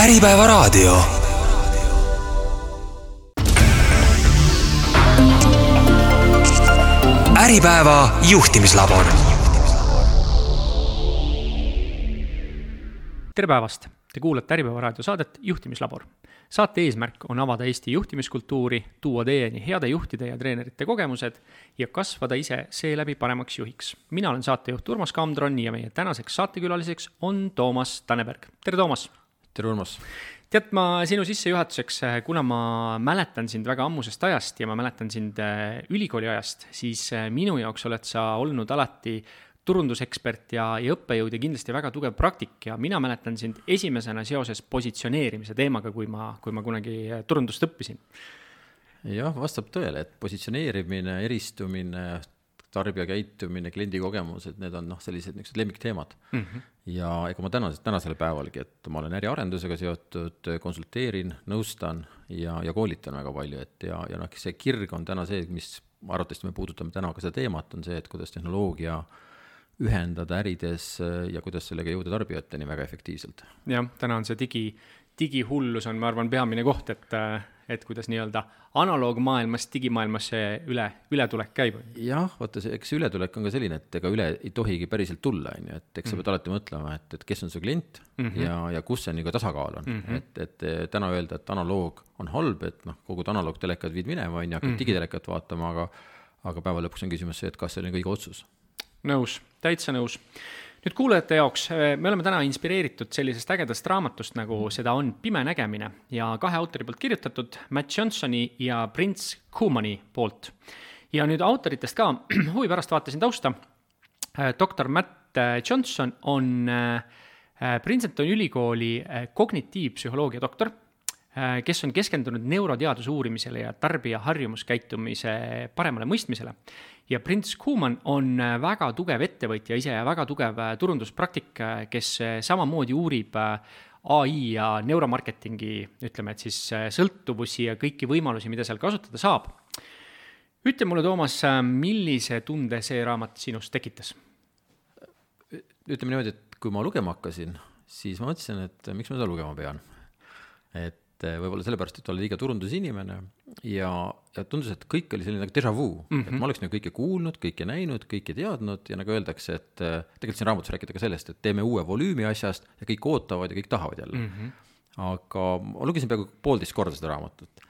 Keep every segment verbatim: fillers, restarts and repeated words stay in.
Äripäeva raadio. Äripäeva juhtimislabor. Tere päevast! Te kuulate Äripäeva raadio saadet Juhtimislabor. Saate eesmärk on avada Eesti juhtimiskultuuri, tuua teieni heade juhtide ja treenerite kogemused ja kasvada ise seeläbi paremaks juhiks. Mina olen saatejuht Urmas Kamdron ja meie tänaseks saatekülaliseks on Toomas Tanneberg. Tere Toomas! Tere Urmas! Tead, ma sinu sissejuhatuseks, kuna ma mäletan sind väga ammusest ajast ja ma mäletan sind ülikooli ajast, siis minu jaoks oled sa olnud alati turundusekspert ja, ja õppejõud ja kindlasti väga tugev praktik ja mina mäletan sind esimesena seoses positsioneerimise teemaga, kui ma, kui ma kunagi turundust õppisin. Jah, vastab tõele, et positsioneerimine, eristumine, tarbija käitumine, kliendi kogemused, need on noh, sellised niisugused lemmikteemad. Mm-hmm. Ja ega ma tänas, tänasele päevalgi, et ma olen äriarendusega seotud, konsulteerin, nõustan ja, ja koolitan väga palju. Et ja, ja noh, see kirg on täna see, mis arvatavasti me puudutame täna ka seda teemat, on see, et kuidas tehnoloogia ühendada ärides ja kuidas sellega jõuda tarbijateni väga efektiivselt. Jah, täna on see digi, digihullus on, ma arvan, peamine koht, et, et kuidas nii-öelda analoogmaailmast digimaailmasse üle, ületulek käib. Jah, vaata, see, eks ületulek on ka selline, et ega üle ei tohigi päriselt tulla, on ju, et eks sa pead alati mõtlema, et, et kes on su klient mm-hmm. ja, ja kus see nii ka tasakaal on. Mm-hmm. Et, et täna öelda, et analoog on halb, et noh, kogu analoogtelekad viid minema, on ju, hakkad mm-hmm. digitelekat vaatama, aga, aga päeva lõpuks on küsimus see, et kas see on kõige otsus. Nõus, täitsa nõus. Nüüd kuulajate jaoks, me oleme täna inspireeritud sellisest ägedast raamatust, nagu seda on Pime nägemine ja kahe autori poolt kirjutatud Matt Johnsoni ja Prince Kumani poolt. Ja nüüd autoritest ka huvi pärast vaatasin tausta. doktor Matt Johnson on Princeton ülikooli kognitiivpsühholoogia doktor, kes on keskendunud neuroteaduse uurimisele ja tarbija harjumuskäitumise paremale mõistmisele. Ja Prince Kuman on väga tugev ettevõtja ise ja väga tugev turunduspraktik, kes samamoodi uurib A I ja neuromarketingi, ütleme, et siis sõltuvusi ja kõiki võimalusi, mida seal kasutada saab. Ütle mulle, Toomas, millise tunde see raamat sinust tekitas? Ütleme niimoodi, et kui ma lugema hakkasin, siis ma mõtlesin, et miks ma seda lugema pean. Et võib-olla sellepärast, et oli liiga turundusinimene ja, ja tundus, et kõik oli selline nagu déjà vu, mm-hmm. et ma oleks nagu kõike kuulnud, kõike näinud, kõike teadnud ja nagu öeldakse, et tegelikult siin raamatus rääkida ka sellest, et teeme uue volüümi asjast ja kõik ootavad ja kõik tahavad jälle. Mm-hmm. Aga ma lugesin peaaegu poolteist korda seda raamatut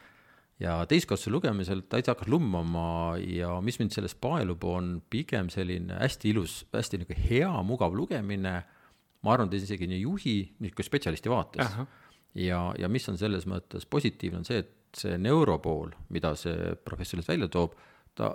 ja teistkordse lugemisel täitsa hakkas lummama ja mis mind selles paelub on pigem selline hästi ilus, hästi nagu hea, mugav lugemine. Ma arvan, et isegi nii juhi, nii kui spetsialisti vaates. Aha. Ja, ja mis on selles mõttes positiivne on see, et see neuropool, mida see professionalis välja toob, ta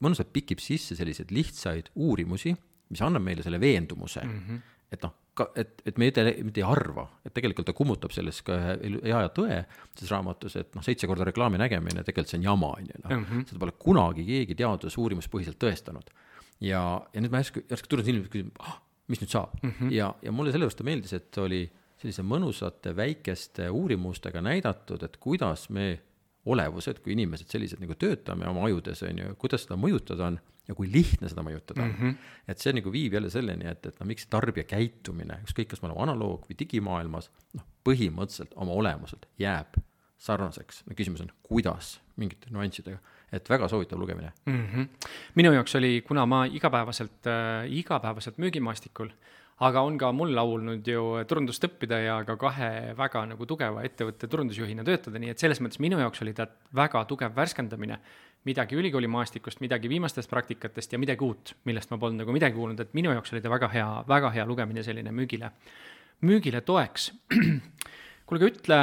mõnusalt pikib sisse selliseid lihtsaid uurimusi, mis annab meile selle veendumuse, mm-hmm. et, noh, et, et me ei, me ei arva, et tegelikult ta kummutab selles ka hea ja tõe selles raamatus, et noh, seitse korda reklaami nägemine, tegelikult see on jama, no. mm-hmm. seda pole kunagi keegi teadus uurimuspõhiselt tõestanud. Ja, ja nüüd ma järsku, järsku turun silmi, küsin, ah, mis nüüd saab? Mm-hmm. Ja, ja mulle sellepärast ta meeldis, et oli sellise mõnusate väikeste uurimustega näidatud, et kuidas me olevused, kui inimesed sellised nagu töötame oma ajudes, on ju, kuidas seda mõjutada on ja kui lihtne seda mõjutada on. Mm-hmm. Et see nagu viib jälle selleni, et, et no, miks tarbija käitumine, ükskõik kas me oleme analoog või digimaailmas, noh, põhimõtteliselt oma olemuselt jääb sarnaseks. No, küsimus on, kuidas mingite nüanssidega, et väga soovitav lugemine. Mm-hmm. Minu jaoks oli, kuna ma igapäevaselt, äh, igapäevaselt müügimaastikul, aga on ka mul laulnud ju turundust õppida ja ka kahe väga nagu tugeva ettevõtte turundusjuhina töötada, nii et selles mõttes minu jaoks oli ta väga tugev värskendamine, midagi ülikooli maastikust, midagi viimastest praktikatest ja midagi uut, millest ma polnud nagu midagi kuulnud, et minu jaoks oli ta väga hea, väga hea lugemine selline müügile, müügile toeks. Kuulge, ütle,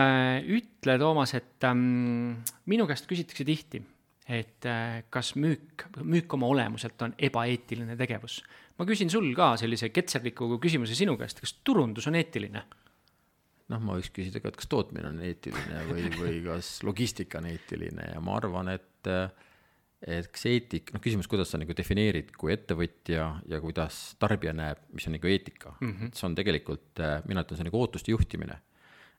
ütle Toomas, et ähm, minu käest küsitakse tihti, et äh, kas müük, müük oma olemuselt on ebaeetiline tegevus. Ma küsin sul ka sellise ketserliku küsimuse sinu käest, kas turundus on eetiline? Noh, ma võiks küsida ka, et kas tootmine on eetiline või, või kas logistika on eetiline ja ma arvan, et, et kas eetik, noh küsimus, kuidas sa nagu defineerid kui ettevõtja ja kuidas tarbija näeb, mis on nagu eetika. Mm-hmm. See on tegelikult, mina ütlen, see on nagu ootuste juhtimine,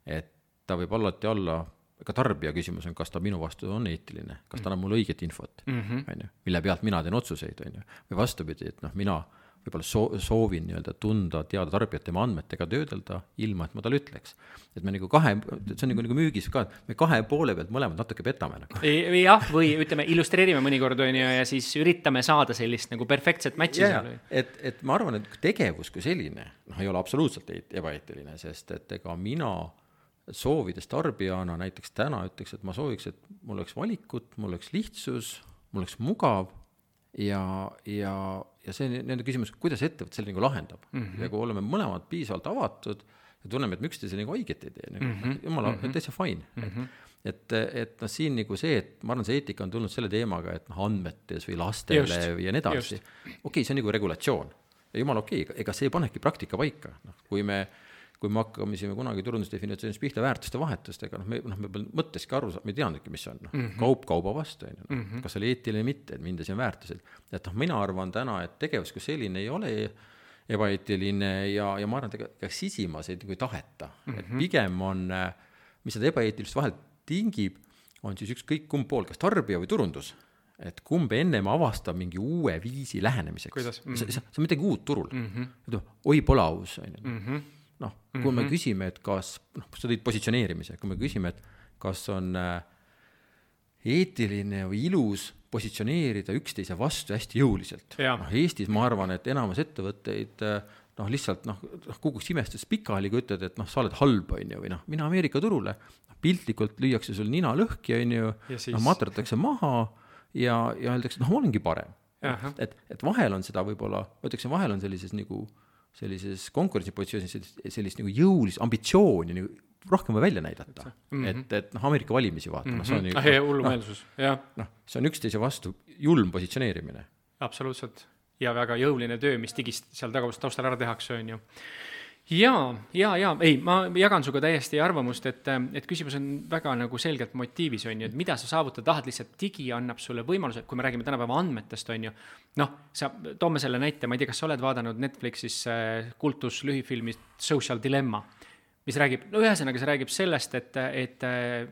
et ta võib alati olla ka tarbija küsimus on, kas ta minu vastu on eetiline, kas ta annab mulle õiget infot, mm-hmm. on ju, mille pealt mina teen otsuseid, on ju. Või vastupidi, et noh, mina võib-olla soo-, soovin nii-öelda tunda, teada tarbijat tema andmetega töödelda, ilma et ma talle ütleks. Et me nagu kahe, see on nagu, nagu müügis ka, me kahe poole pealt mõlemad natuke petame. Nagu. Jah, või ütleme, illustreerime mõnikord on ju, ja siis üritame saada sellist nagu perfektset matchi ja, seal. Et, et ma arvan, et tegevus kui selline noh, ei ole absoluutselt ebaeetiline, sest et ega mina soovides tarbijana näiteks täna ütleks, et ma sooviks, et mul oleks valikut, mul oleks lihtsus, mul oleks mugav ja, ja, ja see nende küsimus, kuidas ettevõt selle nagu lahendab. Mm-hmm. Ja kui oleme mõlemad piisavalt avatud ja tunneme, et me üksteise nagu õiget ei tee, nagu, mm-hmm. jumala, mm-hmm. täitsa fine. Mm-hmm. Et, et noh, siin nagu see, et ma arvan, see eetika on tulnud selle teemaga, et noh, andmetes või lastele just, ja nii edasi. Okei, okay, see on nagu regulatsioon. Ja jumala okei, okay, ega see panebki praktika paika. No, kui me kui me hakkamisime kunagi turundusdefinitsioonist pihta väärtuste vahetustega, noh, me, noh, me mõtteski aru, me ei teadnudki, mis on, noh, mm-hmm. kaup kauba vastu, no, mm-hmm. kas oli eetiline mitte, et mindes on väärtused. Et noh, mina arvan täna, et tegevus kui selline ei ole ebaeetiline ja, ja ma arvan, et ega sisimas ei, ei taheta. Mm-hmm. Et pigem on, mis seda ebaeetilist vahel tingib, on siis ükskõik kumb pool, kas tarbija või turundus. Et kumb ennem avastab mingi uue viisi lähenemiseks. Mm-hmm. See, see on midagi uut turul. Mm-hmm. Oi, pole aus. Mm-hmm. noh, kui mm-hmm. me küsime, et kas, noh, sa tõid positsioneerimise, kui me küsime, et kas on eetiline või ilus positsioneerida üksteise vastu hästi jõuliselt. No, Eestis ma arvan, et enamus ettevõtteid noh, lihtsalt noh, kukuks imestus pikali, kui ütled, et noh, sa oled halb, on ju, või noh, mina Ameerika turule, piltlikult lüüakse sul nina lõhki, on ju, siis... noh, materdatakse maha ja, ja öeldakse, noh, ma olengi parem. Et, et vahel on seda võib-olla, ütleksin, vahel on sellises nagu sellises konkurentsipositsioonis sellist, sellist nagu jõulist ambitsiooni nagu rohkem või välja näidata. Mm-hmm. Et, et noh, Ameerika valimisi vaata. Mm-hmm. No, see on, ah, jah, hullumeelsus. No, no, see on üksteise vastu julm positsioneerimine. Absoluutselt. Ja väga jõuline töö, mis digist seal taustal ära tehakse, on ju. Jaa, jaa, jaa, ei, ma jagan suga täiesti arvamust, et, et küsimus on väga nagu selgelt motiivis, on ju, et mida sa saavutada tahad, lihtsalt digi annab sulle võimaluse, kui me räägime tänapäeva andmetest, on ju, noh, sa toome selle näite, ma ei tea, kas sa oled vaadanud Netflixis kultus lühifilmi Social Dilemma, mis räägib, no ühesõnaga see räägib sellest, et, et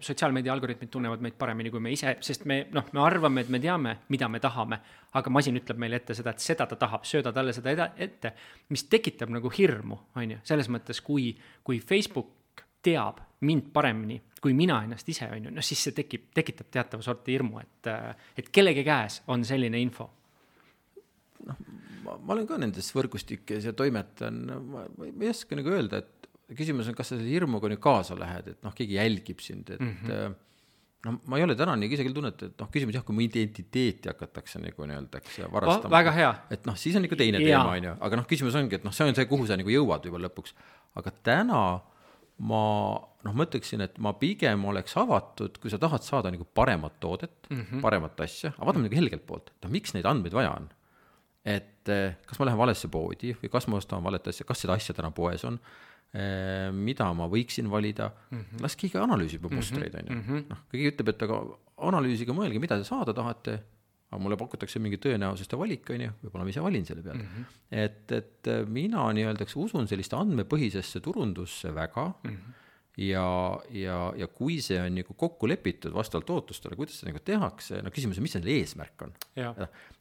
sotsiaalmeedia algoritmid tunnevad meid paremini kui me ise, sest me, noh, me arvame, et me teame, mida me tahame, aga masin ütleb meile ette seda, et seda ta tahab, sööda talle seda eda, ette, mis tekitab nagu hirmu, on ju, selles mõttes, kui, kui Facebook teab mind paremini, kui mina ennast ise, on ju, no siis see tekib, tekitab teatava sorti hirmu, et, et kellegi käes on selline info. Noh, ma, ma olen ka nendes võrgustikes ja toimetan, ma, ma ei oska nagu öelda, et küsimus on, kas sa selle hirmuga nüüd kaasa lähed, et noh, keegi jälgib sind, et mm-hmm. no, ma ei ole täna nii isegi tunnet, et noh, küsimus jah, kui mu identiteeti hakatakse nagu nii-öeldakse varastama. Väga hea. Et noh, siis on ikka teine ja. teema, on ju, aga noh, küsimus ongi, et noh, see on see, kuhu sa nagu jõuad juba lõpuks. Aga täna ma, noh, mõtleksin, et ma pigem oleks avatud, kui sa tahad saada nagu paremat toodet, mm-hmm. paremat asja, aga vaatame nagu helgelt poolt, et noh, miks neid andmeid vaja on? Et kas ma lähen valesse poodi või kas ma ostan valet asja, kas seda asja täna poes on? Mida ma võiksin valida, mm-hmm. las keegi analüüsib mustreid, on ju. Mm-hmm. No, keegi ütleb, et aga analüüsiga mõelge, mida te saada tahate, aga mulle pakutakse mingi tõenäosuste valik, on ju, võib-olla ma ise valin selle peale. Mm-hmm. Et, et mina nii-öeldaks usun sellist andmepõhisesse turundusse väga mm-hmm. ja, ja, ja kui see on nagu kokku lepitud vastavalt ootustele, kuidas see nagu tehakse, no küsimus on, mis selle eesmärk on.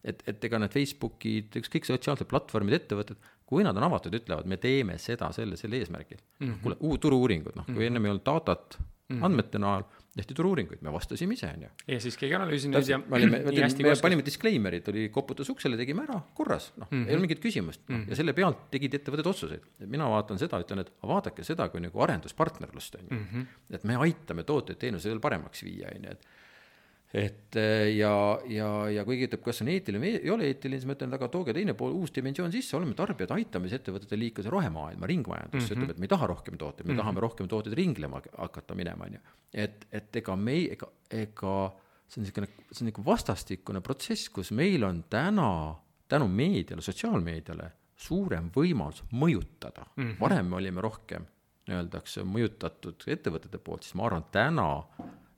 Et, et ega need Facebookid, kõik sotsiaalsed platvormid, ettevõtted, kui nad on avatud, ütlevad, me teeme seda selle, selle eesmärgil. Mm-hmm. Kuule, uu, turu-uuringud, noh, kui mm-hmm. enne me ei olnud datat mm-hmm. andmete näol, tehti turu-uuringuid, me vastasime ise, on ju. Ja siis keegi analüüsinud ja me, olime, me, me panime disclaimerid, oli koputus uksele, tegime ära, korras, noh, mm-hmm. ei ole mingit küsimust. No, mm-hmm. ja selle pealt tegid ettevõtted otsuseid. Mina vaatan seda, ütlen, et vaadake seda kui nagu arenduspartnerlust, on ju. Mm-hmm. Et me aitame tooteid teenuse veel paremaks viia, on ju, et et ja, ja, ja kuigi ütleb, kas on eetiline, ei ole eetiline, siis ma ütlen, aga tooge teine pool uus dimensioon sisse, oleme tarbijad aitamise ettevõtete liikuda rohemaailma, ringmajandus, mm-hmm. ütleb, et me ei taha rohkem tooteid, me mm-hmm. tahame rohkem tooteid ringlema hakata minema, et, et ega me, ega, ega see on selline, see on nagu vastastikune protsess, kus meil on täna tänu meediale, sotsiaalmeediale suurem võimalus mõjutada. Mm-hmm. Varem me olime rohkem, öeldakse, mõjutatud ettevõtete poolt, siis ma arvan, täna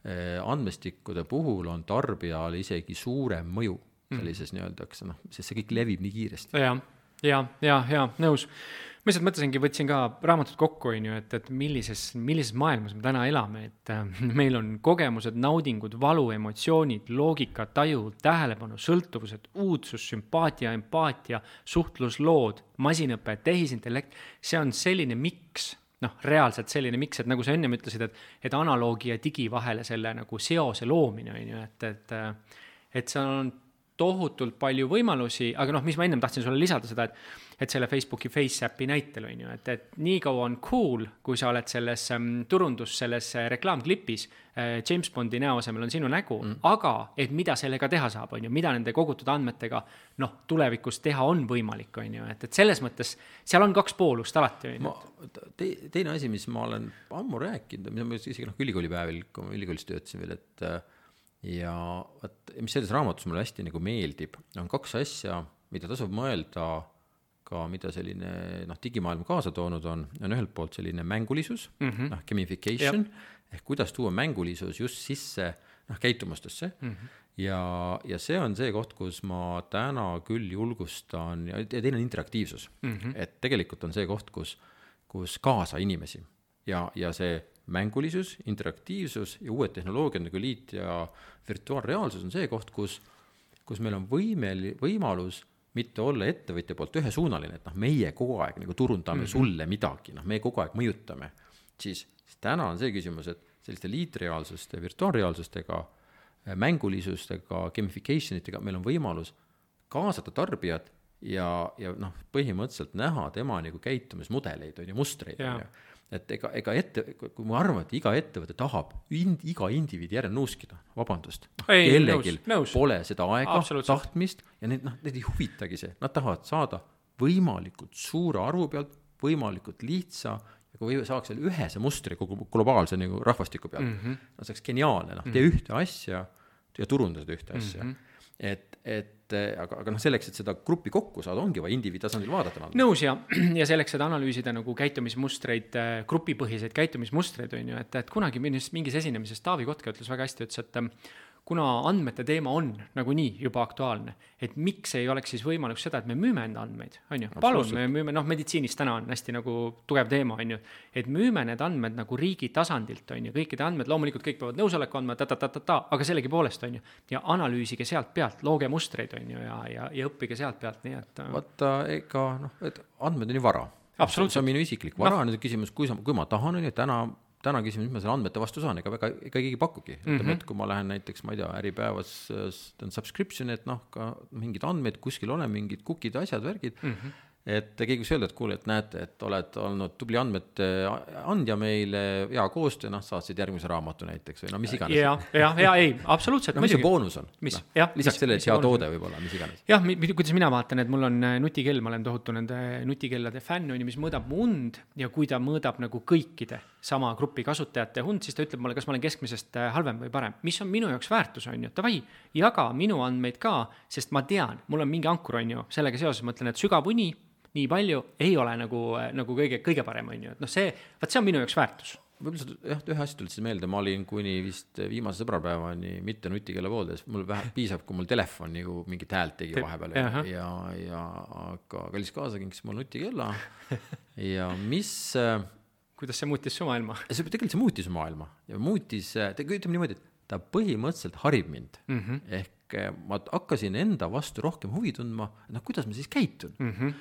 andmestikkude puhul on tarbijal isegi suurem mõju sellises mm. nii-öeldakse, noh, sest see kõik levib nii kiiresti. Ja, ja, ja, ja, nõus. Ma lihtsalt mõtlesingi, võtsin ka raamatut kokku, on ju, et, et millises, millises maailmas me täna elame, et äh, meil on kogemused, naudingud, valu, emotsioonid, loogika, taju, tähelepanu, sõltuvused, uudsus, sümpaatia, empaatia, suhtluslood, masinõpe, tehisintellekt. See on selline miks, noh, reaalselt selline miks, et nagu sa ennem ütlesid, et, et analoogi ja digi vahele selle nagu seose loomine, on ju, et, et, et see on tohutult palju võimalusi, aga noh, mis ma ennem tahtsin sulle lisada seda, et, et selle Facebooki FaceAppi näitel on ju, et, et nii kaua on cool, kui sa oled selles um, turundus, selles reklaamklipis, äh, James Bondi näo asemel on sinu nägu, mm. aga et mida sellega teha saab, on ju, mida nende kogutud andmetega noh, tulevikus teha on võimalik, on ju, et, et selles mõttes seal on kaks poolust alati, on ju. Te, teine asi, mis ma olen ammu rääkinud, mis ma isegi noh, ülikoolipäevil, kui ma ülikoolis töötasin veel, et ja võt, mis selles raamatus mulle hästi nagu meeldib, on kaks asja, mida tasub mõelda ka, mida selline noh, digimaailm kaasa toonud on, on ühelt poolt selline mängulisus, mm-hmm. noh, gamification, Jep. ehk kuidas tuua mängulisus just sisse noh, käitumustesse mm-hmm. ja, ja see on see koht, kus ma täna küll julgustan ja teine on interaktiivsus, mm-hmm. et tegelikult on see koht, kus, kus kaasa inimesi ja, ja see mängulisus, interaktiivsus ja uued tehnoloogiad nagu liit ja virtuaalreaalsus on see koht, kus, kus meil on võimel, võimalus mitte olla ettevõtja poolt ühesuunaline, et noh, meie kogu aeg nagu turundame mm-hmm. sulle midagi, noh, me kogu aeg mõjutame. Siis, siis täna on see küsimus, et selliste liitreaalsuste, virtuaalreaalsustega, mängulisustega, gamificationitega meil on võimalus kaasata tarbijad ja, ja noh, põhimõtteliselt näha tema nagu käitumismudeleid on ju, mustreid on ju. Et ega, ega ette, kui ma arvan, et iga ettevõte tahab ind, iga indiviidi järel nuuskida, vabandust, ei, kellegil nõus, nõus. pole seda aega, tahtmist ja need, noh, need ei huvitagi see, nad tahavad saada võimalikult suure arvu pealt, võimalikult lihtsa ja kui saaks seal ühe see mustri kogu globaalse nagu rahvastiku pealt, mm-hmm. no see oleks geniaalne, noh, tee ühte asja ja turunda seda ühte asja. Mm-hmm. Et, et aga, aga noh, selleks, et seda gruppi kokku saada, ongi vaja indiviidi tasandil vaadata. Nõus ja, ja selleks, et analüüsida nagu käitumismustreid, grupipõhiseid käitumismustreid on ju, et, et kunagi mingis, mingis esinemises Taavi Kotka ütles väga hästi, ütles, et kuna andmete teema on nagu nii juba aktuaalne, et miks ei oleks siis võimalik seda, et me müüme enda andmeid, on ju, palun, me müüme, noh, meditsiinis täna on hästi nagu tugev teema, on ju, et müüme need andmed nagu riigi tasandilt, on ju, kõikide andmed, loomulikult kõik peavad nõusoleku andma, ta, ta, ta, ta, ta, aga sellegi poolest, on ju, ja analüüsige sealt pealt, looge mustreid, on ju, ja, ja, ja õppige sealt pealt, nii et vaata, ega, noh, et andmed on ju vara. Absoluutselt. See on minu isiklik vara, no. Nüüd küsimus, kui, sa, kui ma tahan, on ju, täna täna küsimus, mis ma selle andmete vastu saan, ega väga, ega keegi pakugi. Mm-hmm. Ütleme, et kui ma lähen näiteks, ma ei tea, Äripäevas subscription, et noh, ka mingid andmed kuskil ole, mingid cookid, asjad, värgid, mm-hmm. et keegi võiks öelda, et kuule, et näete, et oled olnud tubli andmete andja meile, hea koostöö, noh, saatsid järgmise raamatu näiteks või no mis iganes. Ja, ja, ja ei, absoluutselt. No mis see boonus on? Mis? No, ja, lisaks mis, selle, mis et hea toode võib olla, mis iganes. Jah, kuidas mina vaatan, et mul on nutikell, ma olen tohutu nende nutikellade fänn, mis mõõdab mu und ja kui ta mõõdab nagu kõikide sama grupi kasutajate hund, siis ta ütleb mulle, kas ma olen keskmisest halvem või parem. Mis on minu jaoks väärtus, on ju? Tavai, jaga minu andmeid ka, sest ma tean, mul on mingi ankur, on ju, sellega seoses mõtlen, et sügav uni nii palju ei ole nagu, nagu kõige, kõige parem, on ju. Et noh, see, vaat see on minu jaoks väärtus. Võib-olla jah, ühe asja tulid siis meelde, ma olin kuni vist viimase sõbrapäevani mitte nutikella pooldes, mul vähe piisab, kui mul telefon nagu mingit häält tegi vahepeal ja, ja, ja aga kallis kaasa kinkis mul nutikella ja mis kuidas see muutis su maailma? See tegelikult see muutis su maailma ja muutis, ütleme niimoodi, et ta põhimõtteliselt harib mind mm-hmm. ehk ma hakkasin enda vastu rohkem huvi tundma, noh, kuidas ma siis käitun mm-hmm.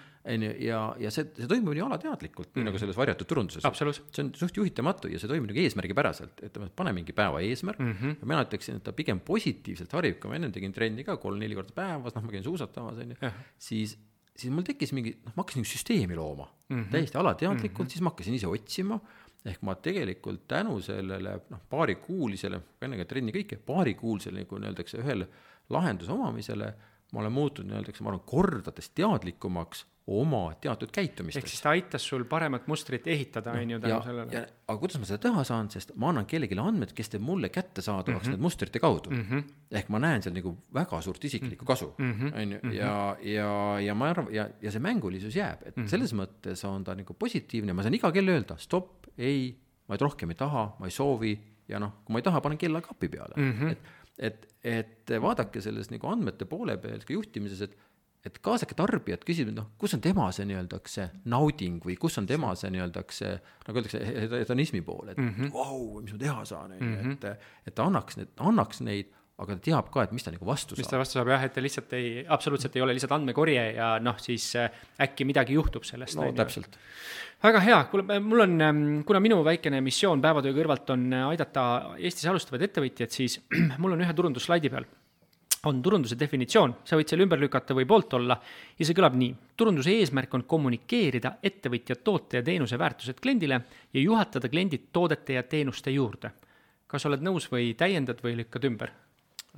ja, ja see, see toimub nii alateadlikult mm-hmm. nagu selles varjatud turunduses. See on suht juhitamatu ja see toimub nagu eesmärgipäraselt, et pane mingi päeva eesmärk mm-hmm. ja mina ütleksin, et ta pigem positiivselt harib, kui ma enne tegin trenni ka kolm-neli korda päevas, noh, ma käin suusatamas on ju, siis, siis mul tekkis mingi, noh, ma hakkasin süsteemi looma mm-hmm. täiesti alateadlikult mm-hmm. siis ma hakkasin ise otsima ehk ma tegelikult tänu sellele noh, paarikuulisele, ennega trenni kõike, paarikuulisele, nagu öeldakse, ühele lahenduse omamisele, ma olen muutunud, öeldakse, ma arvan, kordades teadlikumaks oma teatud käitumistest. Ehk siis ta aitas sul paremat mustrit ehitada, no, on ju tänu sellele. Ja, aga kuidas ma seda teha saan, sest ma annan kellegile andmed, kes teeb mulle kätte saadavaks mm-hmm. need mustrite kaudu. Mm-hmm. Ehk ma näen seal nagu väga suurt isiklikku kasu. Mm-hmm. On ju? Ja, ja, ja, ma arvan, ja, ja see mängulisus jääb. Et mm-hmm. selles mõttes on ta nagu positiivne. Ma saan iga kell öelda, stopp, ei, ma ei rohkem ei taha, ma ei soovi ja noh, kui ma ei taha, panen kella kapi peale. Mm-hmm. Et, et, et vaadake selles nagu andmete poole peal ka juhtimises, et et kaasake tarbijat, küsib, noh, kus on tema see nii-öelda see nauding või kus on tema see nii-öelda see, nagu öeldakse, hedonismi pool, et mm-hmm. wow, mis ma teha saan, mm-hmm. et, et ta annaks, need, annaks neid, aga ta teab ka, et mis ta nagu vastu saab. Mis ta vastu saab, jah, et ta lihtsalt ei, absoluutselt ei ole lihtsalt andmekorje ja noh, siis äkki midagi juhtub sellest. No täpselt. Väga hea, kuule, mul on, kuna minu väikene missioon päevatöö kõrvalt on aidata Eestis alustavad ettevõtjad, siis mul on ühe turundusslaidi peal. On turunduse definitsioon, sa võid selle ümber lükata või poolt olla ja see kõlab nii. Turunduse eesmärk on kommunikeerida ettevõtja toote ja teenuse väärtused kliendile ja juhatada kliendid toodete ja teenuste juurde. Kas oled nõus või täiendad või lükkad ümber?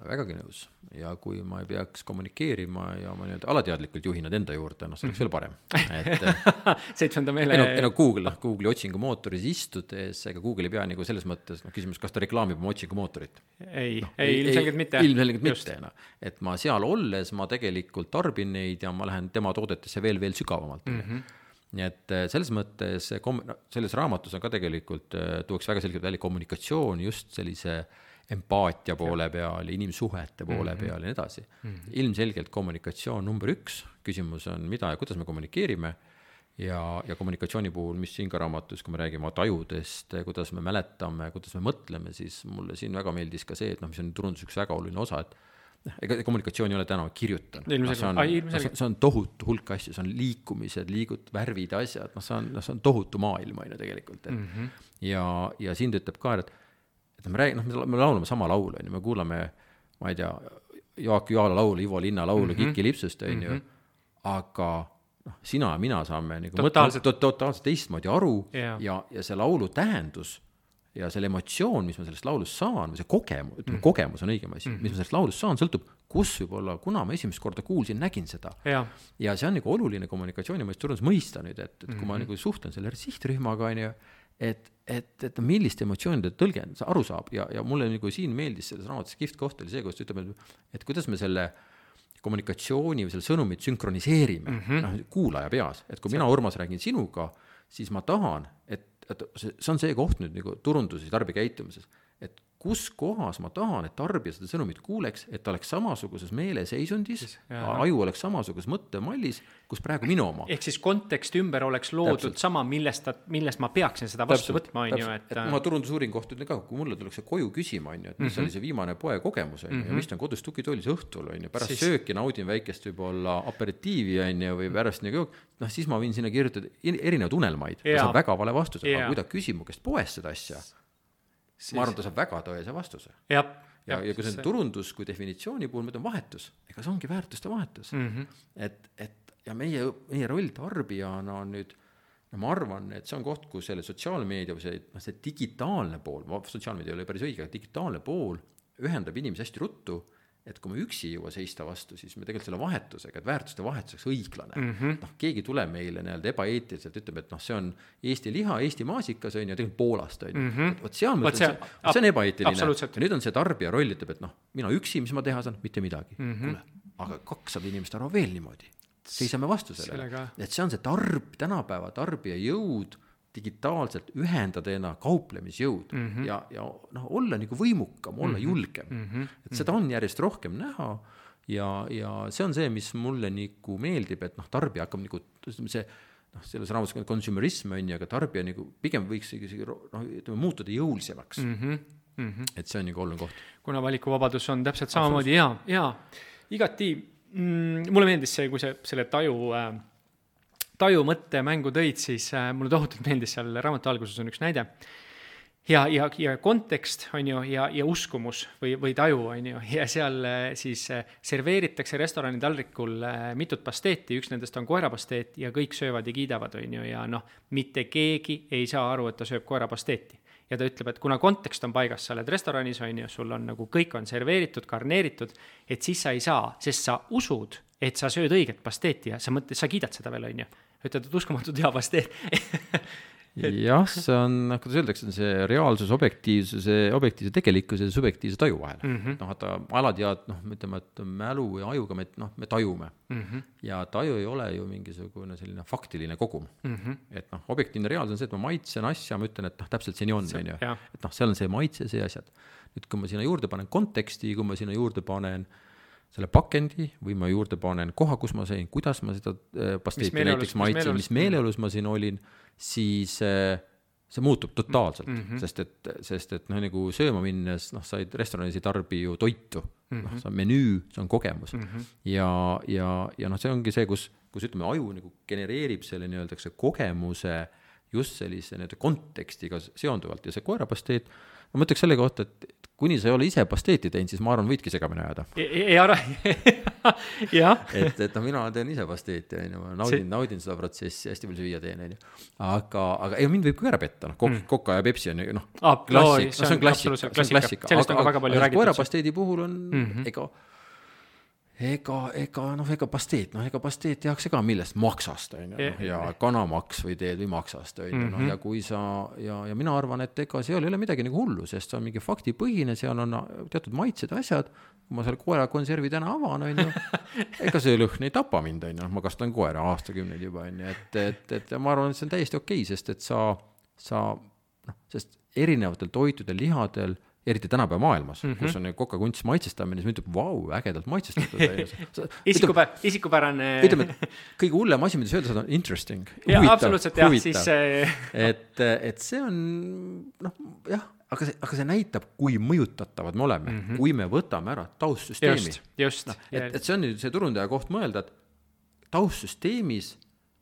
Vägagi nõus ja kui ma ei peaks kommunikeerima ja ma nii-öelda alateadlikult juhin nad enda juurde, noh, see oleks veel parem. Et, seitsmenda meele... No, no Google, Google'i otsingumootoris istudes, ega Google ei pea nagu selles mõttes, noh, küsimus, kas ta reklaamib oma otsingumootorit? Ei, no, ei, ilmselgelt mitte. Ilmselgelt mitte, no. Et ma seal olles, ma tegelikult tarbin neid ja ma lähen tema toodetesse veel, veel sügavamalt. Mm-hmm. Nii et selles mõttes, selles raamatus on ka tegelikult, tuuks väga selgelt välja kommunikatsioon just sellise empaatia poole peal, inimsuhete poole mm-hmm. peal ja nii edasi. Mm-hmm. Ilmselgelt kommunikatsioon number üks, küsimus on mida ja kuidas me kommunikeerime ja, ja kommunikatsiooni puhul, mis siin ka raamatus, kui me räägime tajudest, kuidas me mäletame, kuidas me mõtleme, siis mulle siin väga meeldis ka see, et noh, mis on turundus üks väga oluline osa, et ega kommunikatsioon ei ole täna kirjutan. No, see, on, no, see on tohutu hulk asju, see on liikumised, liigud, värvid, asjad, no see on, no, see on tohutu maailm aina tegelikult. Et, mm-hmm. ja, ja siin ta ütleb ka, et et me räägime, noh, me laulame sama laulu, me kuulame, ma ei tea, Jaak Juala laulu, Ivo Linna laulu, mm-hmm. Kiki Lipsust, mm-hmm. aga noh, sina ja mina saame nagu totaalselt, mõtle, totaalselt teistmoodi aru yeah. ja, ja see laulu tähendus ja selle emotsioon, mis ma sellest laulust saan, või see kogemus, ütleme, mm-hmm. kogemus on õigem asi, mm-hmm. mis ma sellest laulust saan, sõltub, kus võib-olla, kuna ma esimest korda kuulsin, nägin seda. Yeah. Ja see on nagu oluline kommunikatsiooni, ma just turundus mõista nüüd, et, et mm-hmm. kui ma nagu suhtlen selle sihtrühmaga, on ju, et, et, et millist emotsioonide tõlgen sa aru saab ja, ja mulle nagu siin meeldis selles raamatus kihvt koht oli see, kus ta ütleb, et kuidas me selle kommunikatsiooni või selle sõnumit sünkroniseerime mm-hmm. noh, kuulaja peas, et kui see. Mina Urmas räägin sinuga, siis ma tahan, et, et see on see koht nüüd nagu turunduses, tarbikäitumises, et kus kohas ma tahan, et tarbija seda sõnumit kuuleks, et ta oleks samasuguses meeleseisundis, aju oleks samasuguses mõttemallis, kus praegu minu oma. Ehk siis kontekst ümber oleks loodud täpselt. Sama, millest, ta, millest ma peaksin seda vastu täpselt, võtma. On ju, et... et ma turundusuuring kohta ütlen ka, kui mulle tuleks see koju küsima, on ju, et mis mm-hmm. oli see viimane poe kogemus, on ju, ja mis on kodus tukitoolis õhtul, on ju, pärast siis... sööki naudin väikest võib-olla aperitiivi, on ju, või pärast nagu, noh, siis ma võin sinna kirjutada erinevad unelmaid, ta saab väga vale vastuse, aga kui ta küsib mu käest poes seda asja, siis... ma arvan, ta saab väga tõese vastuse. Ja, ja, ja kui see on turundus, kui definitsiooni puhul me on vahetus, ega see ongi väärtuste vahetus. Mm-hmm. Et, et, ja meie, meie roll tarbijana on nüüd, ja ma arvan, et see on koht, kus selle sotsiaalmeedia või see, see digitaalne pool, sotsiaalmeedia ei ole päris õige, digitaalne pool ühendab inimesi hästi ruttu, et kui me üksi ei jõua seista vastu, siis me tegelikult selle vahetusega, et väärtuste vahetuseks õiglane. Mm-hmm. Noh, keegi tuleb meile nii-öelda ebaeetiliselt, ütleb, et noh, see on Eesti liha, Eesti maasikas, on ju, tegelikult Poolast, on ju. Mm-hmm. Võt seal mõttes, see, see, see on ebaeetiline. Ja nüüd on see tarbija roll, ütleb, et noh, mina üksi, mis ma teha saan, mitte midagi. Mm-hmm. Kule, aga kakssada inimest arvab veel niimoodi. Seisame vastu sellele. Sellega. Et see on see tarb, tänapäeva tarbija jõud, digitaalselt ühendada ena kauplemisjõud mm-hmm. ja, ja noh, olla nagu võimukam, olla mm-hmm. julgem. Mm-hmm. Et seda on järjest rohkem näha ja, ja see on see, mis mulle nagu meeldib, et noh, tarbija hakkab nagu see, noh, selles raamatus consumerism on ju, aga tarbija nagu pigem võiks noh, muutuda jõulisemaks. Mm-hmm. Mm-hmm. Et see on nagu oluline koht. Kuna valikuvabadus on täpselt samamoodi ja, ja igati mm, mulle meeldis see, kui see selle taju äh, taju mõtte mängu tõid, siis äh, mulle tohutult meeldis seal raamatu alguses on üks näide. Ja, ja, ja kontekst on ju, ja, ja uskumus või, või taju on ju, ja seal äh, siis äh, serveeritakse restorani taldrikul äh, mitut pasteeti, üks nendest on koerapasteet ja kõik söövad ja kiidavad on ju, ja noh, mitte keegi ei saa aru, et ta sööb koerapasteeti. Ja ta ütleb, et kuna kontekst on paigas, sa oled restoranis on ju, sul on nagu kõik on serveeritud, karneeritud, et siis sa ei saa, sest sa usud, et sa sööd õiget pasteeti ja sa mõtled, sa kiidad seda veel on ju. Ütled, et uskumatud hea pasteet. Jah, see on, kuidas öeldakse, see reaalsus, objektiivsuse, objektiivse tegelikkuse ja subjektiivse taju vahel. Mm-hmm. Noh, et alatead, noh, ütleme, et mälu ja ajuga me, noh, me tajume. Mm-hmm. Ja taju ei ole ju mingisugune selline faktiline kogum. Mm-hmm. Et noh, objektiivne reaalsus on see, et ma maitsen asja, ma ütlen, et noh, täpselt see nii on. See, on ju. Et noh, seal on see maitse, see asjad. Nüüd, kui ma sinna juurde panen konteksti, kui ma sinna juurde panen selle pakendi või ma juurde panen koha, kus ma sõin, kuidas ma seda pasteeti näiteks maitsin, mis meeleolus ma siin olin, siis see muutub totaalselt, mm -hmm. sest et, sest et noh, nagu sööma minnes, noh, sa restoranis ei tarbi ju toitu, mm -hmm. noh, see on menüü, see on kogemus mm -hmm. ja, ja, ja noh, see ongi see, kus, kus ütleme, aju nagu genereerib selle nii-öelda kogemuse just sellise nii-öelda kontekstiga seonduvalt ja see koerapasteet, ma mõtleks selle kohta, et kuni sa ei ole ise pasteeti teinud, siis ma arvan, võidki segamini ajada. Ei ara, jah. Et, et no mina teen ise pasteeti, ma naudin, see... naudin seda protsessi, hästi palju süüa teen, aga, aga ei, mind võib ka ära petta, noh, kok, mm. Koka ja Pepsi on noh, ah, klassik, no, see on klassika, see on klassika, aga, aga, aga koerapasteedi puhul on mm -hmm. ega ega, ega, noh, ega pasteet, noh, ega pasteet tehakse ka millest maksast, on ju, ja kanamaks või teed või maksast, on ju, noh, ja kui sa, ja, ja mina arvan, et ega seal ei ole midagi nagu hullu, sest see on mingi faktipõhine, seal on teatud maitsed asjad, kui ma selle koera konservi täna avan, on ju, ega see lõhn ei tapa mind, on ju, ma kastan koera aastakümneid juba, on ju, et, et, et ma arvan, et see on täiesti okei, sest et sa, sa, noh, sest erinevatel toitudel, lihadel, eriti tänapäeva maailmas, mm -hmm. kus on koka kunst maitsestamine, siis ma ütleb, vau, ägedalt maitsestatud. Isikupä, isikupärane. Ütleme, et kõige hullem asi, mida sa öelda saad, on interesting. Ja, absoluutselt, jah, siis et, et see on, noh, jah, aga see, aga see näitab, kui mõjutatavad me oleme, mm -hmm. kui me võtame ära taustsüsteemi. Just, just. No, et, et see on nüüd see turundaja koht mõelda, et taustsüsteemis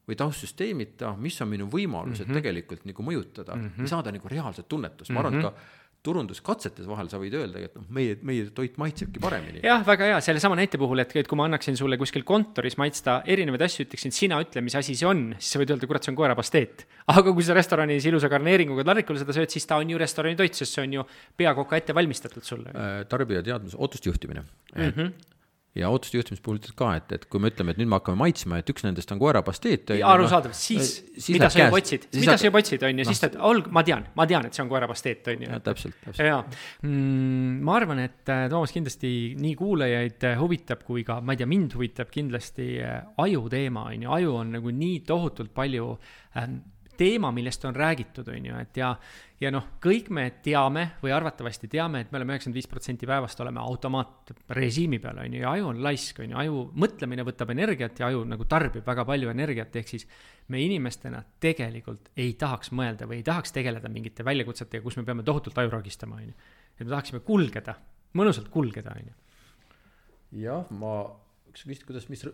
või taustsüsteemita, mis on minu võimalused mm -hmm. tegelikult nagu mõjutada mm -hmm. ja saada nagu reaalset tunnetust. Ma arvan, et ka turunduskatsetes vahel sa võid öelda, et noh, meie, meie toit maitsebki paremini. Jah, väga hea, selle sama näite puhul, et kui ma annaksin sulle kuskil kontoris maitsta erinevaid asju, ütleksin, sina ütle, mis asi see on, siis sa võid öelda, kurat, see on koerapasteet. Aga kui sa restoranis ilusa karneeringuga tarrikul seda sööd, siis ta on ju restorani toit, sest see on ju peakoka ette valmistatud sulle. Tarbija teadmus, ootust juhtimine. Et mm -hmm. ja ootuste juhtimis puhul ka, et, et kui me ütleme, et nüüd me hakkame maitsma, et üks nendest on koerapasteet. Arusaadav, siis, siis mida sa ju potsid, mida sa ju potsid, on ju, siis ta, ma tean, ma tean, et see on koerapasteet, on ju. Ja, täpselt, täpselt. Ja, mm, ma arvan, et Toomas kindlasti nii kuulajaid huvitab, kui ka, ma ei tea, mind huvitab kindlasti aju teema, on ju, aju on nagu nii tohutult palju ähm, teema, millest on räägitud, on ju, et ja, ja noh, kõik me teame või arvatavasti teame, et me oleme üheksakümmend viis protsenti päevast oleme automaatrežiimi peal, on ju, ja aju on laisk, on ju, aju mõtlemine võtab energiat ja aju nagu tarbib väga palju energiat, ehk siis me inimestena tegelikult ei tahaks mõelda või ei tahaks tegeleda mingite väljakutsetega, kus me peame tohutult aju ragistama, on ju. Et me tahaksime kulgeda, mõnusalt kulgeda, on ju. Jah, ma, üks küsit, kuidas, mis,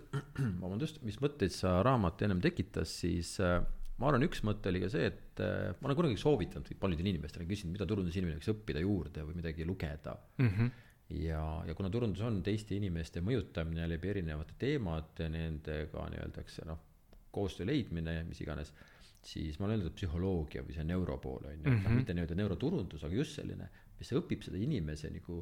vabandust, mis mõtteid sa raamat ennem tekitas, siis ma arvan, üks mõte oli ka see, et ma olen kunagi soovitanud paljudel inimestele küsinud, mida turundusinimene võiks õppida juurde või midagi lugeda. Mm -hmm. ja, ja kuna turundus on teiste inimeste mõjutamine läbi erinevate teemade, nendega nii-öeldakse, noh, koostöö leidmine, mis iganes, siis ma olen öeldud psühholoogia või see neuropool, on ju, mm -hmm. mitte nii-öelda neuroturundus, aga just selline, mis õpib seda inimese nagu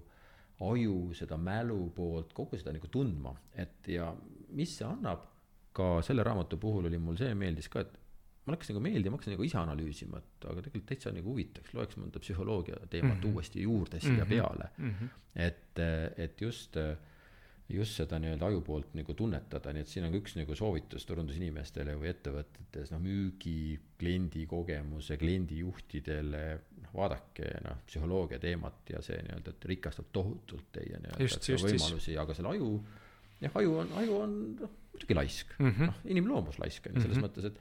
aju, seda mälu poolt, kogu seda nagu tundma, et ja mis see annab, ka selle raamatu puhul oli mul see meeldis ka, et ma hakkasin nagu meeldi, ma hakkasin nagu ise analüüsima, et aga tegelikult täitsa nagu huvitaks, loeks mõnda psühholoogia teemat mm -hmm. uuesti juurde siia mm -hmm. peale. Mm -hmm. et, et just, just seda nii-öelda aju poolt nagu tunnetada, nii et siin on üks nagu soovitus turundusinimestele või ettevõtetes, noh, müügi, kliendi kogemuse, kliendi juhtidele, noh, vaadake, noh, psühholoogia teemat ja see nii-öelda, et rikastab tohutult teie nii-öelda võimalusi, aga selle aju, jah, aju on, aju on, noh, muidugi laisk, mm -hmm. noh, inimloomus laisk, selles mm -hmm. mõttes, et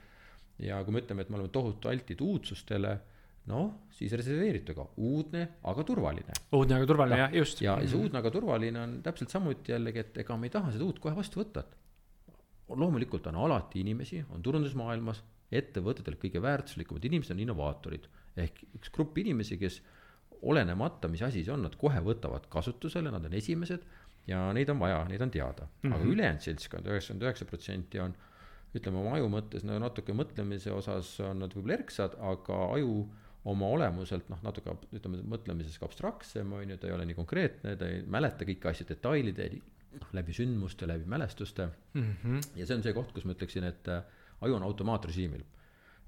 ja kui me ütleme, et me oleme tohutu altid uudsustele, noh, siis reserveeritu ka uudne, aga turvaline. Uudne, aga turvaline, jah, just. Ja see uudne, aga turvaline on täpselt samuti jällegi, et ega me ei taha seda uut kohe vastu võtta. Loomulikult on alati inimesi, on turundusmaailmas, ettevõtetel kõige väärtuslikumad inimesed on innovaatorid. Ehk üks grupp inimesi, kes olenemata, mis asi see on, nad kohe võtavad kasutusele, nad on esimesed ja neid on vaja, neid on teada. Aga mm-hmm. ülejäänud seltskond, üheksakümmend üheksa protsenti on ütleme, oma aju mõttes no, natuke mõtlemise osas on nad võib-olla erksad, aga aju oma olemuselt, noh, natuke, ütleme, mõtlemises ka abstraktsem, on ju, ta ei ole nii konkreetne, ta ei mäleta kõiki asju detailide, läbi sündmuste, läbi mälestuste. Mm-hmm. Ja see on see koht, kus ma ütleksin, et aju on automaatrežiimil.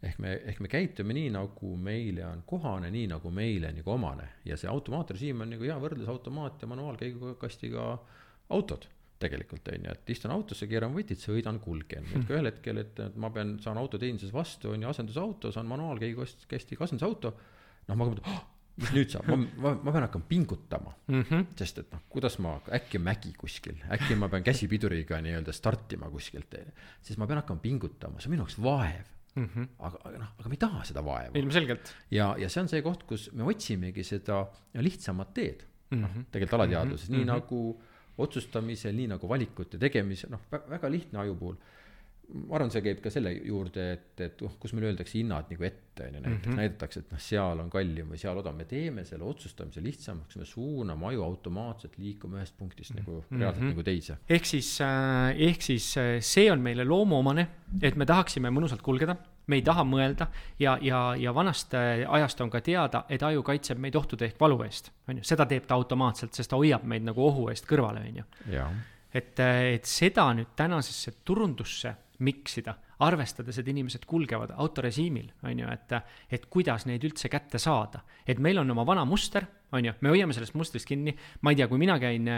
Ehk me, ehk me käitume nii, nagu meile on kohane, nii nagu meile nagu omane. Ja see automaatrežiim on nagu hea võrdlus automaat ja manuaalkäigukastiga autod. Tegelikult on ju, et istun autosse, keeran võtid, sõidan, kulgen. Et ka ühel hetkel, et ma pean, saan autoteeninduses vastu, on ju asendusauto, saan manuaalkäigukastiga asendusauto. Noh, ma mõtlen, oh, mis nüüd saab, ma, ma, ma pean hakkama pingutama mm, -hmm. sest et noh, kuidas ma, äkki mägi kuskil, äkki ma pean käsipiduriga nii-öelda startima kuskilt, siis ma pean hakkama pingutama, see on minu jaoks vaev mm, -hmm. aga, aga noh, aga me ei taha seda vaeva. Ilmselgelt. ja, ja see on see koht, kus me otsimegi seda lihtsamat teed, noh, mm -hmm. tegelikult alateadvuses, mm -hmm. nii mm -hmm. nagu otsustamisel, nii nagu valikute tegemisel, noh, väga lihtne aju puhul. Ma arvan, see käib ka selle juurde, et, et uh, kus meil öeldakse hinnad nagu ette, näiteks mm -hmm. näidatakse, et noh, seal on kallim või seal odav, me teeme selle otsustamise lihtsamaks, me suuname aju automaatselt liikuma ühest punktist mm -hmm. nagu reaalselt mm -hmm. nagu teise. Ehk siis, äh, ehk siis see on meile loomuomane, et me tahaksime mõnusalt kulgeda, me ei taha mõelda ja, ja, ja vanast ajast on ka teada, et aju kaitseb meid ohtude ehk valu eest. On ju? Seda teeb ta automaatselt, sest ta hoiab meid nagu ohu eest kõrvale. On ju? Et, et seda nüüd tänasesse turundusse miksida, arvestades, et inimesed kulgevad autorežiimil, on ju, et, et kuidas neid üldse kätte saada. Et meil on oma vana muster, on ju, me hoiame sellest mustrist kinni, ma ei tea, kui mina käin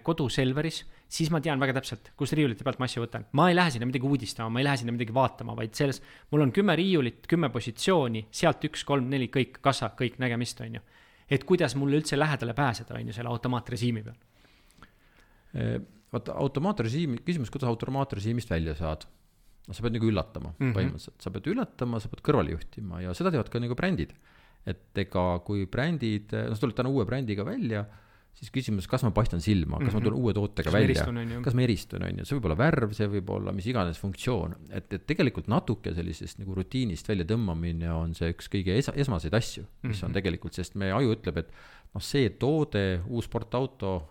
kodu Selveris, siis ma tean väga täpselt, kus riiulite pealt ma asju võtan. Ma ei lähe sinna midagi uudistama, ma ei lähe sinna midagi vaatama, vaid selles, mul on kümme riiulit, kümme positsiooni, sealt üks, kolm, neli, kõik, kassa, kõik nägemist, on ju. Et kuidas mulle üldse lähedale pääseda, on ju, selle automaatrežiimi peal. Vaata, automaatrežiimi, küsimus, kuidas automaatrežiimist välja saad? No, sa pead nagu üllatama mm -hmm. põhimõtteliselt, sa pead üllatama, sa peed kõrvale juhtima ja seda teevad ka nagu brändid. Et ega kui brändid, no sa tuled täna uue brändiga välja, siis küsimus, kas ma paistan silma, kas mm -hmm. ma tulen uue tootega kas välja, kas ma eristun, on ju, see võib olla värv, see võib olla mis iganes funktsioon, et, et tegelikult natuke sellisest nagu rutiinist välja tõmbamine on see üks kõige es esmaseid asju, mis mm -hmm. on tegelikult, sest me aju ütleb, et noh, see toode, uus sportauto,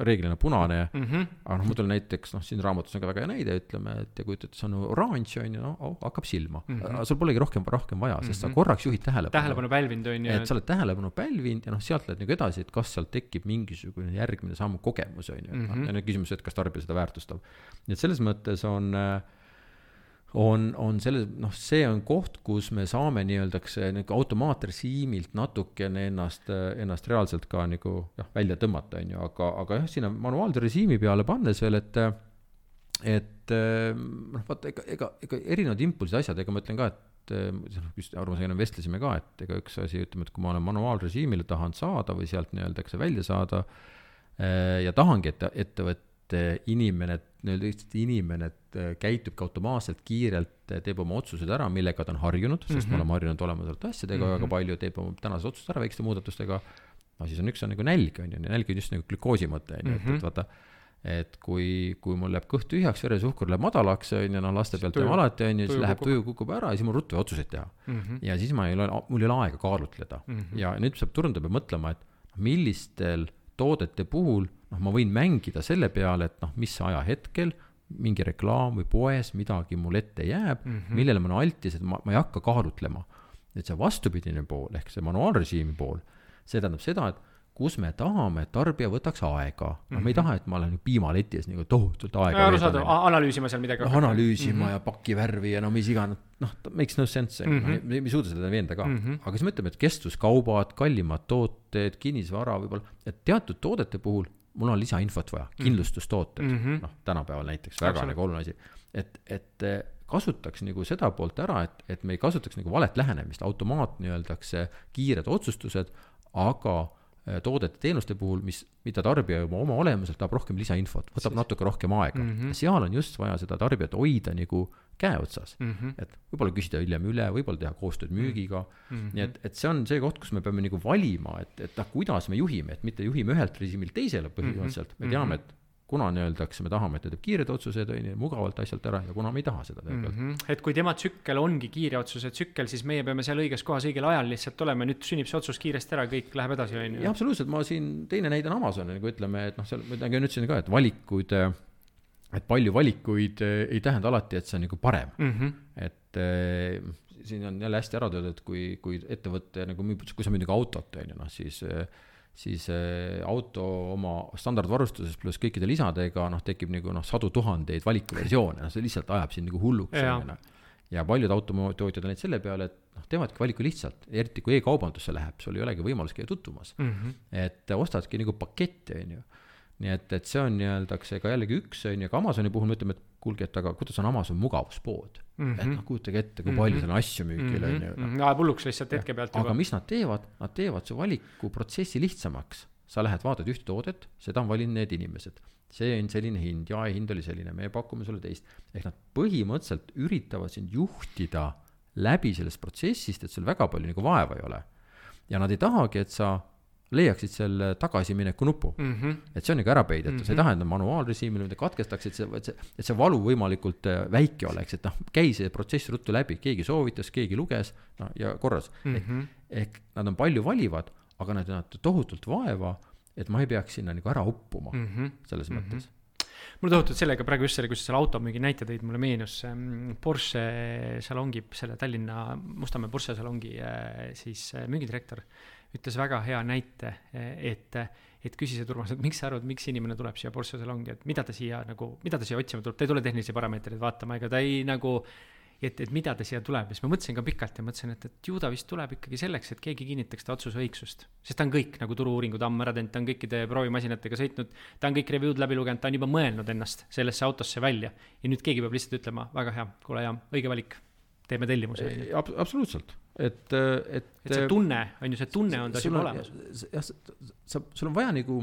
reeglina punane, mm -hmm. aga noh, ma tulen näiteks, noh, siin raamatus on ka väga hea näide, ütleme, et kui ütled, see on oranž, on ju, no, oh, hakkab silma. Mm -hmm. Sul polegi rohkem, rohkem vaja, sest mm -hmm. sa korraks juhid tähelepanu. Tähelepanu pälvinud, on ju. Et sa oled tähelepanu pälvinud ja noh, sealt lähed nagu edasi, et kas sealt tekib mingisugune järgmine samm kogemus, on ju. Mm -hmm. Ja nüüd küsimus, et kas tarbija seda väärtustab. Nii et selles mõttes on on, on selle, noh, see on koht, kus me saame nii-öeldakse nagu automaatrežiimilt natukene ennast, ennast reaalselt ka nagu jah, välja tõmmata, on ju, aga, aga jah, sinna manuaalse režiimi peale pannes veel, et et noh, vaata, ega, ega, ega erinevad impulsid asjad, ega ma ütlen ka, et arvamusega enam vestlesime ka, et ega üks asi, ütleme, et kui ma olen manuaalrežiimile tahan saada või sealt nii-öeldakse välja saada ja tahangi, et ettevõtte inimene, nii-öelda inimene käitub ka automaatselt kiirelt, teeb oma otsused ära, millega ta on harjunud, sest mm -hmm. me oleme harjunud olema sealt asjadega mm -hmm. väga palju, teeb oma tänased otsused ära väikeste muudatustega, no siis on üks on nagu nälg, on ju, nälg on just nagu glükoosi mõte, on ju, et, et vaata, et kui, kui mul läheb kõht tühjaks, veresuhkur läheb madalaks, on ju, noh, laste pealt teeme alati, on ju, siis läheb tuju kukub ära ja siis mul ruttu otsuseid teha. Mm -hmm. Ja siis ma ei ole, mul ei ole aega kaalutleda. Mm -hmm. Ja nüüd saab turundada mõtlema, et millistel toodete puhul, noh, ma võin mängida selle peale, et noh, mis ajahetkel mingi reklaam või poes midagi mul ette jääb, mm -hmm. millele ma olen altis, et ma, ma ei hakka kaalutlema. Et see vastupidine pool, ehk see manuaalrežiimi pool, see tähendab seda, et kus me tahame, et tarbija võtaks aega. No, mm -hmm. me ei taha, et ma olen piimaletis nagu tohutult aega. Ja, arusaada, analüüsima seal midagi. No, analüüsima mm -hmm. ja paki värvi ja no mis iganes, noh, makes no sense, mm -hmm. me ei suuda seda veenda ka. Mm -hmm. Aga siis me ütleme, et kestvuskaubad, kallimad tooted, kinnisvara võib-olla, et teatud toodete puhul mul on lisainfot vaja, kindlustustooted, mm -hmm. noh, tänapäeval näiteks väga Absolut. Nagu oluline asi, et, et kasutaks nagu seda poolt ära, et, et me ei kasutaks nagu valet lähenemist, automaat nii-öeldakse kiired otsustused, aga toodete teenuste puhul, mis, mida tarbija juba oma olemuselt tahab rohkem lisainfot, võtab siis natuke rohkem aega. Mm -hmm. Seal on just vaja seda tarbijat hoida nagu käe otsas. Mm -hmm. Et võib-olla küsida hiljem üle, võib-olla teha koostööd müügiga. Mm -hmm. Nii et, et see on see koht, kus me peame nagu valima, et, et ah, kuidas me juhime, et mitte juhime ühelt režiimilt teisele põhimõtteliselt. Me teame, et kuna nii-öeldakse, me tahame, et ta teeb kiired otsused, mugavalt asjalt ära ja kuna me ei taha seda mm. -hmm. Et kui tema tsükkel ongi kiire otsuse tsükkel, siis meie peame seal õiges kohas õigel ajal lihtsalt olema, nüüd sünnib see otsus kiiresti ära, kõik läheb edasi. Ja absoluutselt, ma siin teine näide on Amazon, nagu ütleme, et noh, seal ma ütlesin ka, et valikuid, et palju valikuid ei tähenda alati, et see on nagu parem. Mm -hmm. Et eh, siin on jälle hästi ära tööd, et kui, kui ettevõtte, nagu kui sa müüd nagu autot, on ju, noh, siis siis auto oma standardvarustuses pluss kõikide lisadega, noh, tekib nagu noh, sadu tuhandeid valikuversioone, no see lihtsalt ajab siin nagu hulluks. Ja, ja paljud autotootjad on neid selle peale, et noh, teevadki valiku lihtsalt, eriti kui e-kaubandusse läheb, sul ei olegi võimalus käia tutvumas. Mm -hmm. Et ostadki nagu paketti, on ju. Nii et, et see on nii-öeldakse ka jällegi üks, on ju, ka Amazoni puhul me ütleme, et kuulge, et aga kuidas on Amazon mugavuspood? mm. -hmm. et noh, kujutage ette, kui palju seal on asju müügil mm. -hmm. on ju. Ajab hulluks lihtsalt hetke pealt. Aga mis nad teevad? Nad teevad su valikuprotsessi lihtsamaks. Sa lähed, vaatad ühte toodet, seda on valinud need inimesed. See on selline hind, jaehind oli selline, me pakume sulle teist. Ehk nad põhimõtteliselt üritavad sind juhtida läbi sellest protsessist, et sul väga palju nagu vaeva ei ole. Ja nad ei tahagi, et sa leiaksid selle tagasimineku nupu. Mm -hmm. Et see on nagu ära peidetud. Mm -hmm. See ei tähenda manuaalrežiimil, mida katkestaks, et see, et, see, et see valu võimalikult väike oleks, et noh, käi see protsess ruttu läbi, keegi soovitas, keegi luges no, ja korras. Mm -hmm. ehk, ehk nad on palju valivad, aga nad on tohutult vaeva, et ma ei peaks sinna nagu ära uppuma mm -hmm. selles mm -hmm. mõttes. Mul tohutult sellega praegu just selle, kus selle automüügi näite tõid, mulle meenus Porsche salongi, selle Tallinna Mustamäe Porsche salongi siis müügidirektor ütles väga hea näite, et, et küsis, et Urmas, et miks sa arvad, miks inimene tuleb siia Porsche salongi, et mida ta siia nagu, mida ta siia otsima tuleb, ta ei tule tehnilisi parameetreid vaatama, ega ta ei nagu, et, et mida ta siia tuleb. Ja siis ma mõtlesin ka pikalt ja mõtlesin, et, et ju ta vist tuleb ikkagi selleks, et keegi kinnitaks ta otsuse õigsust. Sest ta on kõik nagu turu-uuringud ammu ära teinud, ta on kõikide proovimasinatega sõitnud, ta on kõik review'd läbi lugenud, ta on juba mõelnud ennast sellesse autosse välja. Ja nüüd keegi peab lihtsalt ütlema, väga hea, kuule hea, õige valik, teeme tellimuse. Ab, absoluutselt. Et, et, et see tunne, on ju see tunne on ta juba olemas. Ja, sa, sul on vaja nagu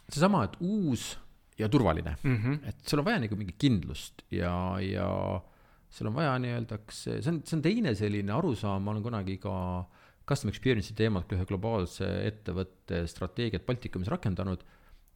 seesama, et uus ja turvaline. Mm -hmm. Et sul on vaja nagu mingi kindlust ja, ja sul on vaja nii-öeldaks, see on, see on teine selline arusaam, ma olen kunagi ka custom experience'i teemat ühe globaalse ettevõtte strateegiat Baltikumis rakendanud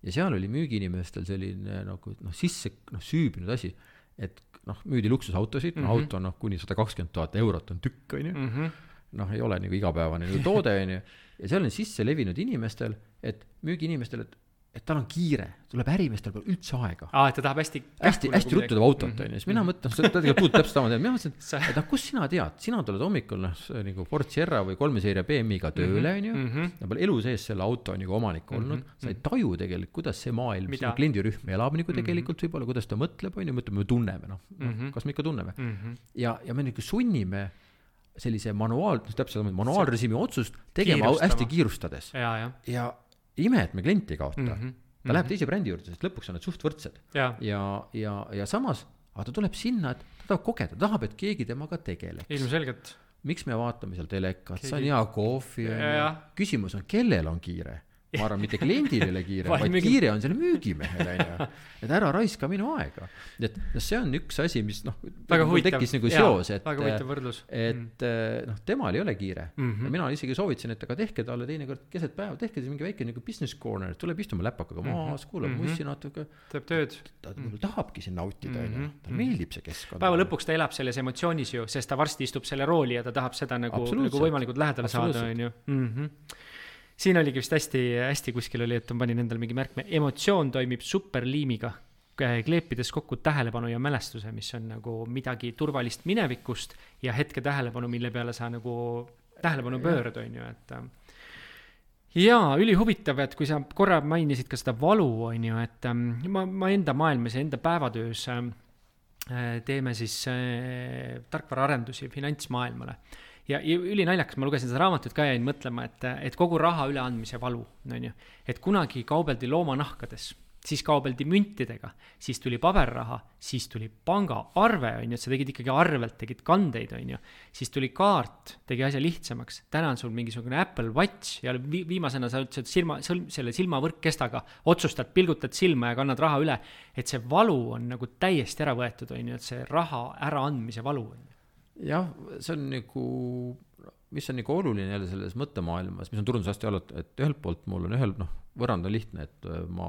ja seal oli müügiinimestel selline nagu noh, sisse noh, süübinud asi, et noh, müüdi luksusautosid, mm -hmm. auto on noh, kuni sada kakskümmend tuhat eurot on tükk, on ju. Mm -hmm. Noh, ei ole nagu igapäevane nagu toode, on ju. Ja seal on sisse levinud inimestel, et müügiinimestel, et, et tal on kiire, tuleb ärimestel pole üldse aega. Aa, et ta tahab hästi hästi, hästi ruttu tema autot, on ju. Siis mina mõtlen, seda tegelikult täpselt sama tead. Mina mõtlen, et noh, kus sina tead? Sina tuled hommikul noh, nagu Ford Sierra või kolme seeria B M I-ga tööle, on ju. Ja pole elu sees selle auto nagu omanik olnud. Mm -hmm. Sa ei taju tegelikult, kuidas see maailm, sinu kliendirühm elab nagu tegelikult mm -hmm. võib-olla, kuidas ta mõtleb, on ju, mõtleb, me tunneme, noh, mm -hmm. kas me ikka tunneme. Mm -hmm. Ja, ja me nagu sunnime sellise manuaal, täpselt manuaalrežiimi otsust tegema kiirustama. Hästi kiirustades. Ja, ja. ja ime, et me klienti ei kaota. Mm -hmm. Ta mm-hmm. läheb teise brändi juurde, sest lõpuks on need suht võrdsed. Ja, ja, ja, ja samas, aga ta tuleb sinna, et ta tahab kogeda, ta tahab, et keegi temaga tegeleks. Ilmselgelt. Miks me vaatame seal telekat, keegi... see on hea kohvi. Küsimus on, kellel on kiire? Ma arvan, mitte kliendil ei ole kiire, vaid müügi... kiire on selle müügimehele. Et ära raiska minu aega. Et see on üks asi, mis noh, tekkis nagu seos, et, et noh, temal ei ole kiire. Mm-hmm. Ja mina isegi soovitasin, et aga tehke talle teinekord keset päeva, tehke mingi väike nagu business corner, tuleb istuma läpakaga maas, kuulab mm-hmm. mussi natuke. Teeb tööd. Ta mm-hmm. tahabki siin nautida, mm-hmm. ta meeldib see keskkond. Päeva lõpuks ta elab selles emotsioonis ju, sest ta varsti istub selle rooli ja ta tahab seda nagu, nagu võimalikult lähedale saada. On ju. Mm-hmm. Siin oligi vist hästi, hästi kuskil oli, et on panin endal mingi märkme. Emotsioon toimib superliimiga, kleepides kokku tähelepanu ja mälestuse, mis on nagu midagi turvalist minevikust ja hetke tähelepanu, mille peale sa nagu tähelepanu pöörad, on ju. Et jaa, üli huvitav, et kui sa korra mainisid ka seda valu, on ju, et ma, ma enda maailmas ja enda päevatöös teeme siis tarkvaraarendusi finantsmaailmale. Ja üli naljakas, ma lugesin seda raamatut ka ja jäin mõtlema, et, et kogu raha üleandmise valu, on ju, et kunagi kaubeldi loomanahkades, siis kaubeldi müntidega, siis tuli paberraha, siis tuli pangaarve, on ju, et sa tegid ikkagi arvelt, tegid kandeid, on ju, siis tuli kaart, tegi asja lihtsamaks, täna on sul mingisugune Apple Watch ja viimasena sa ütlesid silma, selle silmavõrkkestaga otsustad, pilgutad silma ja kannad raha üle, et see valu on nagu täiesti ära võetud, on ju, et see raha äraandmise valu, on ju. Jah, see on nagu, mis on nagu oluline jälle selles mõttemaailmas, mis on turundushästi olnud, et ühelt poolt mul on ühel, noh, võrrand on lihtne, et ma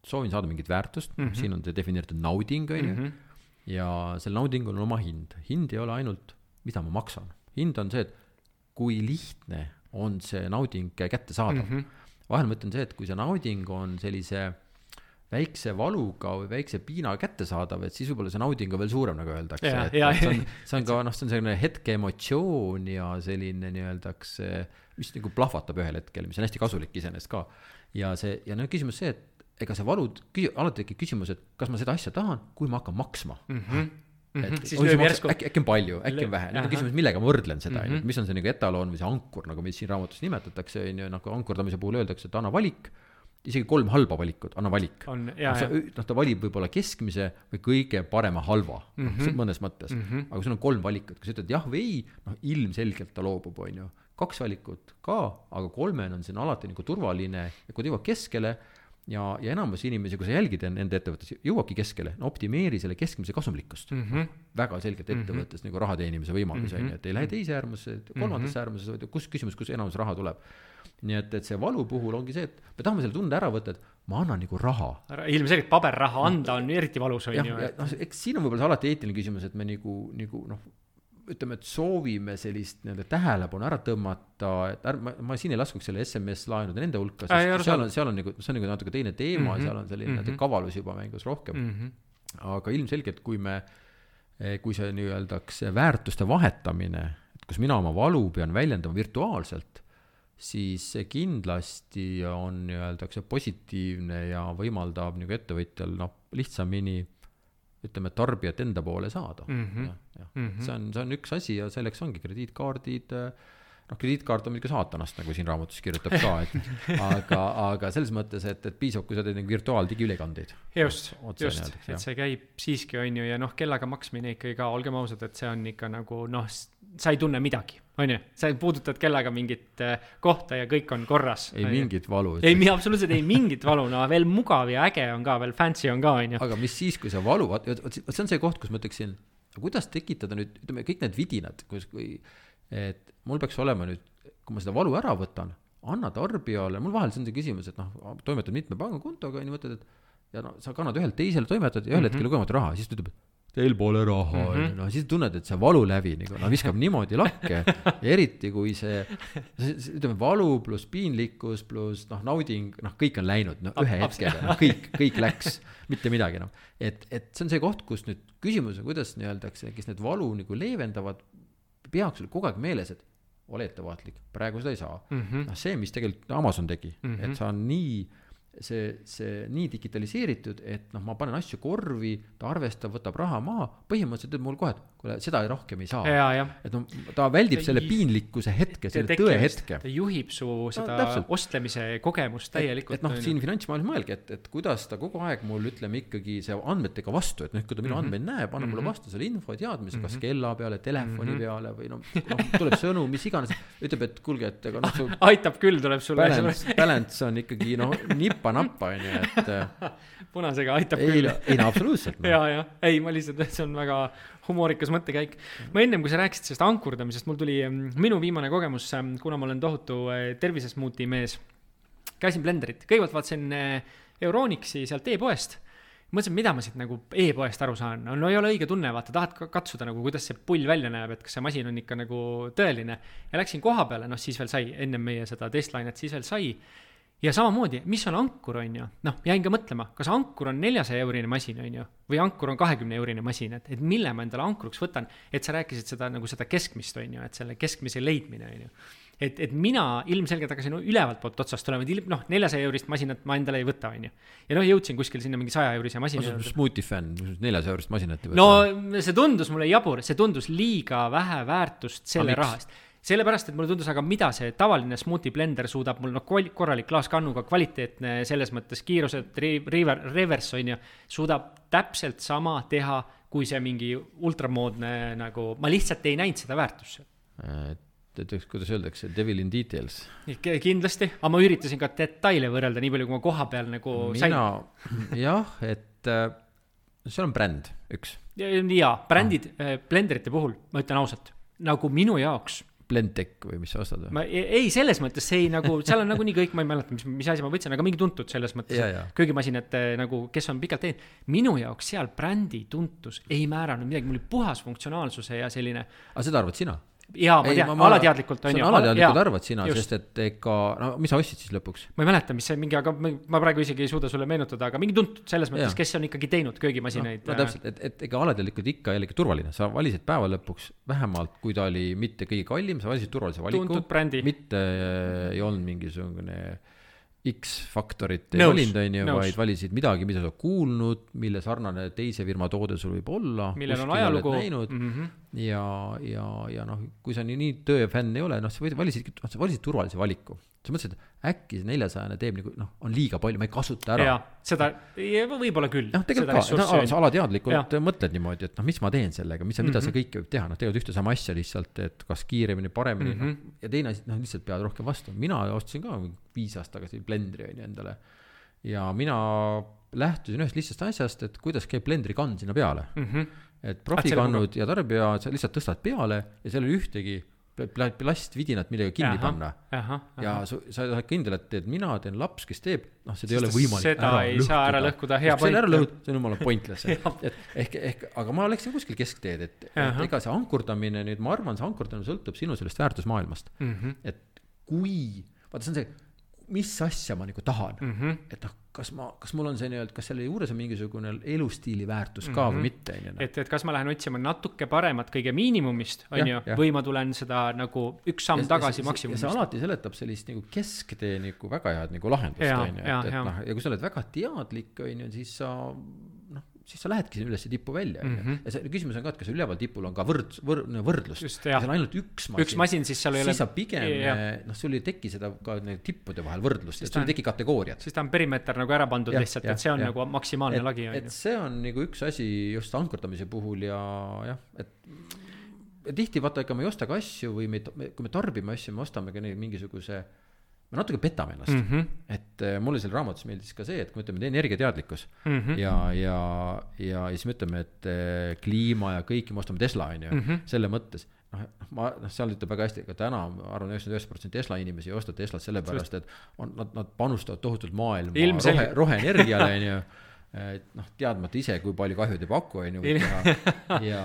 soovin saada mingit väärtust, mm -hmm. siin on see defineeritud nauding, on ju, mm -hmm. ja sel naudingul on oma hind. Hind ei ole ainult, mida ma maksan. Hind on see, et kui lihtne on see nauding kätte saada. Mm -hmm. Vahel mõtlen see, et kui see nauding on sellise väikse valuga või väikse piina kätte saadav, et siis võib-olla see nauding on veel suurem, nagu öeldakse. Ja, ja, see, on, see on ka, noh, see on selline hetke emotsioon ja selline nii-öeldaks, mis nagu plahvatab ühel hetkel, mis on hästi kasulik iseenesest ka. Ja see, ja no küsimus see, et ega see valud, alati tekib küsimus, et kas ma seda asja tahan, kui ma hakkan maksma. Mm -hmm. Et, siis on maks, äkki, äkki on palju, äkki on vähe. Nüüd on küsimus, millega ma võrdlen seda, mm -hmm. mis on see nagu etaloon või see ankur, nagu meid siin raamatus nimetatakse, nagu ankurdamise puhul öeldakse, et anna valik, isegi kolm halba valikut, anna valik. On, ja, no, sa, noh, ta valib võib-olla keskmise või kõige parema halva, mm -hmm. mõnes mõttes. Mm -hmm. aga kui sul on kolm valikut, kui sa ütled jah või ei, noh, ilmselgelt ta loobub, on ju. Kaks valikut ka, aga kolmen on siin alati nagu turvaline ja kui ta jõuab keskele ja, ja enamus inimesi, kui sa jälgid nende ettevõttes, jõuabki keskele, no optimeeri selle keskmise kasumlikkust. Mm -hmm. väga selgelt ettevõttes mm -hmm. nagu raha teenimise võimalus, on ju, et ei lähe teise äärmusse, kolmandasse äärmusse, vaid kus küsimus, kus enamus raha tuleb. Nii et, et see valu puhul ongi see, et me tahame selle tunde ära võtta, et ma annan nagu raha. Ilmselgelt paberraha anda on eriti valus, on ju. Ja, noh, eks siin on võib-olla see alati eetiline küsimus, et me nagu, nagu noh, ütleme, et soovime sellist nii-öelda tähelepanu ära tõmmata, et ärma, ma siin ei laskuks selle S M S-laenude nende hulka, sest seal on, seal on nagu, see on nagu natuke teine teema mm, -hmm. seal on selline mm -hmm. kavalus juba mängus rohkem. Mm -hmm. aga ilmselgelt, kui me, kui see nii-öeldaks väärtuste vahetamine, et kus mina oma valu pean väljendama virtuaalselt, siis see kindlasti on nii-öeldaks positiivne ja võimaldab nagu ettevõtjal noh, lihtsamini ütleme, tarbijat enda poole saada. Mm-hmm. Ja, ja. Mm-hmm. See, on, see on üks asi ja selleks ongi krediitkaardid, noh, krediitkaart on muidugi saatanast, nagu siin raamatus kirjutab ka, et, aga, aga selles mõttes, et, et piisab, kui sa teed virtuaal digiülekandeid. Just, Otse just, näeldaks, et see käib siiski, on ju, ja noh, kellaga maksmine ikkagi ka, olgem ausad, et see on ikka nagu, noh, sa ei tunne midagi, on ju, sa puudutad kellaga mingit kohta ja kõik on korras. Ei mingit valu. Ei, mi, absoluutselt ei mingit valu, no veel mugav ja äge on ka, veel fancy on ka, on ju. Aga mis siis, kui see valu, see on see koht, kus ma ütleksin, kuidas tekitada nüüd, ütleme, kõik need vidinad, kus, kui, et mul peaks olema nüüd, kui ma seda valu ära võtan, anna tarbijale, mul vahel see on see küsimus, et noh, toimetad mitme pangakontoga ja nii mõtled, et ja no, sa kannad ühelt teisele toimetad ja ühel mm -hmm. hetkel lugemata raha, siis ta ütleb, teil pole raha mm, -hmm. no siis tunned, et see valu läbi nagu, no viskab niimoodi lakke ja eriti kui see, see ütleme, valu pluss piinlikkus pluss noh, nauding, noh, kõik on läinud, no ühe hetkega, no, kõik, kõik läks, mitte midagi, noh. Et, et see on see koht, kus nüüd küsimus on, kuidas nii-öeldakse, kes need valu nagu leevendavad, peaks sul kogu aeg meeles, et ole ettevaatlik, praegu seda ei saa. Mm -hmm. noh, see, mis tegelikult Amazon tegi, mm -hmm. et sa on nii see, see nii digitaliseeritud, et noh, ma panen asju korvi, ta arvestab, võtab raha maha, põhimõtteliselt teeb mul kohe, et kuule, seda ei rohkem ei saa. Ja, ja. Et no, ta väldib selle piinlikkuse hetke, selle tõe hetke. Ta juhib su seda no, ostlemise kogemust täielikult. Et, et noh, siin finantsmaailmas mõelge, et, et kuidas ta kogu aeg mul ütleme ikkagi see andmetega vastu, et noh, kui ta minu mm -hmm. andmeid näeb, anna mulle vastu selle info ja teadmise, kas kella peale, telefoni mm -hmm. peale või noh, noh, tuleb sõnu, mis iganes, ütleb, et kuulge, et ega noh, su aitab küll, tuleb sulle. Balance, balance on ikkagi noh, nippa-nappa, on ju, et punasega aitab ei, küll. Ei, no absoluutselt. No. ja, ja, ei, ma lihtsalt, see on väga humoorikas mõttekäik. Ma ennem, kui sa rääkisid sellest ankurdamisest, mul tuli minu viimane kogemus, kuna ma olen tohutu tervisesmuuti mees. Käisin Blenderit, kõigepealt vaatasin Euronixi sealt e-poest. Mõtlesin, mida ma siit nagu e-poest aru saan. No, no ei ole õige tunne, vaata, tahad katsuda nagu, kuidas see pull välja näeb, et kas see masin on ikka nagu tõeline. Ja läksin koha peale, noh siis veel sai, ennem meie seda testlainet siis veel sai. Ja samamoodi, mis on ankur, on ju? Noh, jäin ka mõtlema, kas ankur on neljasaja eurine masin, on ju? Või ankur on kahekümne eurine masin, et, et mille ma endale ankuruks võtan, et sa rääkisid seda, nagu seda keskmist, on ju, et selle keskmise leidmine, on ju. Et, et mina ilmselgelt hakkasin ülevalt poolt otsast tulema, et noh, neljasaja eurist masinat ma endale ei võta, on ju. Ja noh, jõudsin kuskil sinna mingi saja eurise masina. Ma smoothie fan, neljasaja eurist masinat ei võta. No see tundus mulle jabur, see tundus liiga vähe väärtust selle rahast. Sellepärast, et mulle tundus, aga mida see tavaline smoothie blender suudab mul, noh, korralik klaaskannuga, kvaliteetne selles mõttes kiirused, reverse on ju, suudab täpselt sama teha, kui see mingi ultramoodne nagu, ma lihtsalt ei näinud seda väärtusse. Et kuidas öeldakse, devil in details. Kindlasti, aga ma üritasin ka detaile võrrelda, nii palju kui ma koha peal nagu Mina, sain. Jah, et see on bränd, üks. Ja, ja brändid ah. blenderite puhul, ma ütlen ausalt, nagu minu jaoks Blendtec või mis sa ostad või? Ma, ei, selles mõttes see ei nagu, seal on nagu nii kõik, ma ei mäleta, mis, mis asi ma võtsin, aga mingi tuntud selles mõttes, ja, ja. köögimasinad nagu, kes on pikalt teinud. Minu jaoks seal brändi tuntus ei määranud midagi, mul oli puhas funktsionaalsuse ja selline. Aga seda arvad sina? Jaa, ma tean, alateadlikult on ju. Alateadlikult arvad sina, just. Sest et ega, no mis sa ostsid siis lõpuks? Ma ei mäleta, mis see mingi, aga ma praegu isegi ei suuda sulle meenutada, aga mingi tuntud selles mõttes, ja. Kes on ikkagi teinud köögimasinaid. No, no täpselt, et, et ega alateadlikult ikka jällegi turvaline. Sa valisid päeva lõpuks vähemalt, kui ta oli mitte kõige kallim, sa valisid turvalise valiku. Tuntud brändi. Mitte ei olnud mingisugune X-faktorit ei valinud, on ju, vaid valisid midagi, mida sa kuulnud, mille sarnane teise firma toode sul võib olla. Millel on ajalugu. Näinud, mm-hmm. ja, ja, ja noh, kui sa nii, nii töö fänn ei ole, noh, sa valisid, sa valisid turvalise valiku. sa mõtlesid, et äkki see neljasajane teeb nagu, noh, on liiga palju, ma ei kasuta ära. Ja, seda võib-olla küll. Noh, tegelikult ka, no, sa alateadlikult ja. mõtled niimoodi, et noh, mis ma teen sellega, mis, mm-hmm. mida see kõik võib teha, noh, teevad ühte sama asja lihtsalt, et kas kiiremini, paremini, mm-hmm. noh, ja teine asi, noh, lihtsalt peavad rohkem vastu. Mina ostsin ka viis aasta tagasi blendri on endale ja mina lähtusin ühest lihtsast asjast, et kuidas käib blendri kann sinna peale. Mm-hmm. Et profikannud ja tarbija, sa lihtsalt tõstad peale ja seal oli ühtegi plastvidinat millega kinni aha, panna aha, aha. ja su, sa oled kindel, et teed mina, teen laps, kes teeb, noh, seda ei ole võimalik seda ära ei lõhkuda. Saa ära lõhkuda, hea point. Ära lõhud, see on jumala pointless. et, ehk, ehk, aga ma läksin kuskil keskteed, et, et ega see ankurdamine, nüüd ma arvan, see ankurdamine sõltub sinu sellest väärtusmaailmast. Mm-hmm. Et kui, vaata, see on see, mis asja ma nagu tahan, mm-hmm. et noh, kas ma, kas mul on see nii-öelda, kas selle juures on mingisugune elustiili väärtus ka mm-hmm. või mitte. Et, et kas ma lähen otsima natuke paremat kõige miinimumist, on ja, ju, ja. või ma tulen seda nagu üks samm ja, tagasi ja, maksimumist. Ja see alati seletab sellist nagu kesktee nagu väga head nagu lahendust, ja, on ju, et, et noh, ja kui sa oled väga teadlik, on ju, siis sa, noh, siis sa lähedki üles tippu välja. Mm-hmm. Ja see küsimus on ka, et kas üleval tipul on ka võrd, võrd, võrdlust. Just, ja see on ainult üks masin. Üks masin, siis seal ei ole... Siis sa pigem, noh, sul ei teki seda ka tippude vahel võrdlust, et sul ei teki kategooriat. Siis ta on perimeeter nagu ära pandud ja, lihtsalt, ja, et see on ja. nagu maksimaalne et, lagi. Et see on nagu üks asi just ankurdamise puhul ja jah, et tihti vaata, ega me ei osta ka asju või me, kui me tarbime asju, me ostame ka mingisuguse me natuke petame ennast, mm-hmm. et äh, mulle selle raamatus meeldis ka see, et kui me ütleme, et energiateadlikkus mm-hmm. ja, ja, ja, ja siis me ütleme, et äh, kliima ja kõiki me ostame Tesla, on ju, mm-hmm. selle mõttes, noh, ma, noh, seal ütleb väga hästi, aga täna arvan üheksakümmend üheksa protsenti Tesla inimesi ei osta Teslat sellepärast, et on, nad, nad panustavad tohutult maailma rohe, roheenergiale, on ju, et noh, teadmata ise, kui palju kahju teeb aku, on ju, ja,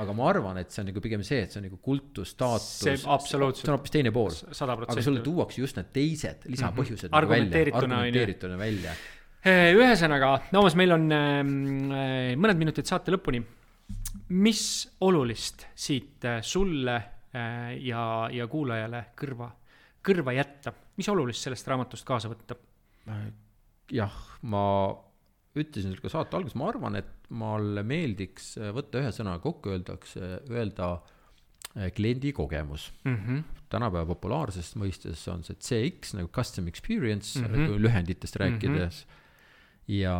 aga ma arvan, et see on nagu pigem see, et see on nagu kultus, staatus, see, see on hoopis teine pool, sada protsenti. Aga sulle tuuakse just need teised lisapõhjused mm-hmm. argumenteerituna, välja, argumenteerituna välja. Ühesõnaga, Toomas, meil on mõned minutid saate lõpuni. Mis olulist siit sulle ja, ja kuulajale kõrva, kõrva jätta? Mis olulist sellest raamatust kaasa võtta? Jah, ma ütlesin ka saate alguses, ma arvan, et mulle meeldiks võtta ühe sõna kokku öeldakse, öelda kliendi kogemus. Mm-hmm. Tänapäeva populaarsest mõistes on see C X nagu custom experience, mm-hmm. lühenditest rääkides. Mm-hmm. Ja,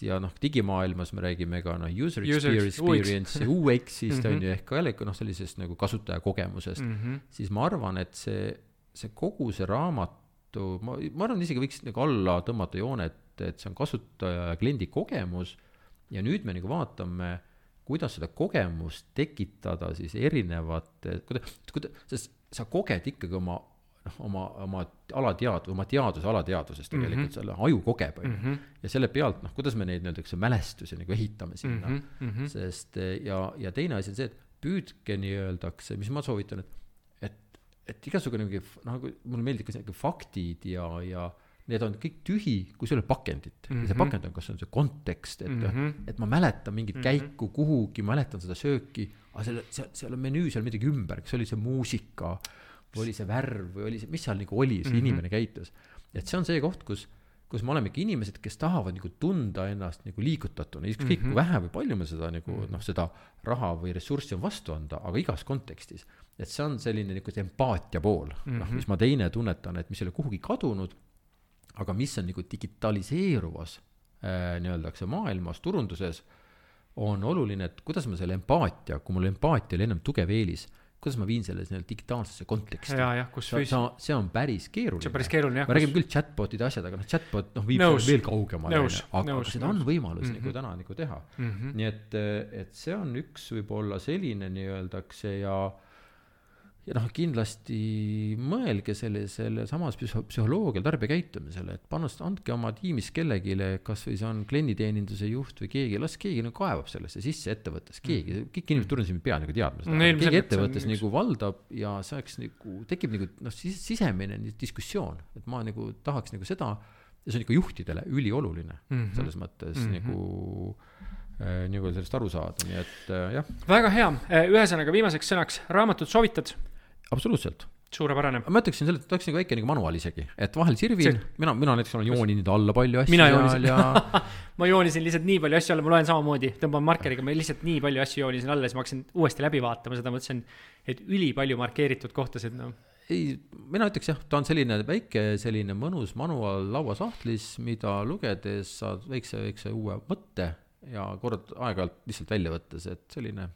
ja noh, digimaailmas me räägime ka no, user, user experience ja U X-ist mm-hmm. on ju ehk ka jälle no, sellisest nagu kasutaja kogemusest. Mm-hmm. Siis ma arvan, et see, see kogu see raamatu, ma, ma arvan, isegi võiks nagu alla tõmmata joone, et et see on kasutaja ja kliendi kogemus ja nüüd me nagu vaatame, kuidas seda kogemust tekitada siis erinevate, kuidas, kuidas, sest sa koged ikkagi oma, oma, oma alatead, oma teaduse alateadusest tegelikult mm-hmm. selle aju kogeb mm-hmm. ja selle pealt, noh, kuidas me neid nendeks mälestusi nagu ehitame sinna, mm-hmm. sest ja, ja teine asi on see, et püüdke nii öeldakse, mis ma soovitan, et, et, et igasugune mingi, noh, mulle meeldib ka see faktid ja, ja need on kõik tühi, kui sul on pakendit. Mm-hmm. Ja see pakend on, kas on see kontekst, et, mm-hmm. et ma mäletan mingit mm-hmm. käiku kuhugi, mäletan seda sööki, aga seal, seal, seal on menüü seal midagi ümber, kas oli see muusika, või oli see värv, või oli see, mis seal nagu oli, see mm-hmm. inimene käitus. Et see on see koht, kus, kus me olemegi inimesed, kes tahavad nagu tunda ennast nagu liigutatuna, kõik mm-hmm. vähe või palju me seda, nagu, mm-hmm. noh, seda raha või ressurssi on vastu anda, aga igas kontekstis. Et see on selline nagu empaatia pool, mm-hmm. noh, mis ma teine tunnetan, et mis ei ole kuhugi kadunud, aga mis on nagu digitaliseeruvas äh, nii-öeldakse maailmas, turunduses, on oluline, et kuidas ma selle empaatia, kui mul empaatia oli ennem tugev eelis, kuidas ma viin selle digitaalsesse konteksti. Ja, ja, kus see, see on päris keeruline. See on päris keeruline, jah. Ma räägin küll chatbotide asjad, aga noh, chatbot noh, viib nõus, veel kaugemale. Nõus, aga nõus, seda nõus. On võimalus mm-hmm. nagu täna nagu teha. Mm-hmm. Nii et, et see on üks võib-olla selline nii-öeldakse ja ja noh, kindlasti mõelge selle, selle samas psühholoogial tarbija käitumisele, et panust, andke oma tiimis kellegile, kas või see on klienditeeninduse juht või keegi, las keegi nagu kaevab sellesse sisse ettevõttes, keegi, kõik inimesed turundusi pead nagu teadma seda, no, keegi ettevõttes nagu valdab ja saaks nagu, tekib nagu noh, sisemine diskussioon, et ma nagu tahaks nagu seda, ja see on ikka juhtidele ülioluline mm-hmm. selles mõttes mm-hmm. nagu äh, nagu sellest aru saada, nii et äh, jah. Väga hea, ühesõnaga viimaseks sõnaks raamatut soovitad? Absoluutselt. Suurepärane. Ma ütleksin selle, et oleks nagu väike nagu manual isegi, et vahel sirvin, see... mina, mina näiteks olen jooninud alla palju asju. Mina joonisin. Ja... ma joonisin lihtsalt nii palju asju alla, ma loen samamoodi, tõmban markeriga, ma lihtsalt nii palju asju joonisin alla, siis ma hakkasin uuesti läbi vaatama, seda mõtlesin, et üli palju markeeritud kohtasid. No. ei, mina ütleks jah, ta on selline väike, selline mõnus manuaal lauasahtlis, mida lugedes saad väikse, väikse uue mõtte ja kord aeg-ajalt lihtsalt välja võttes, et selline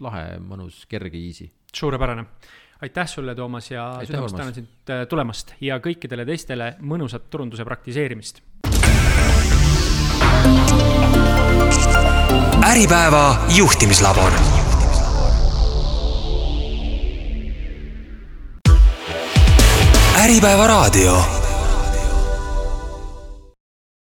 lahe, mõnus, kerge, easy. Suurepärane. Aitäh sulle, Toomas, ja südamast tänan sind tulemast ja kõikidele teistele mõnusat turunduse praktiseerimist. Äripäeva juhtimislabor. Äripäeva raadio.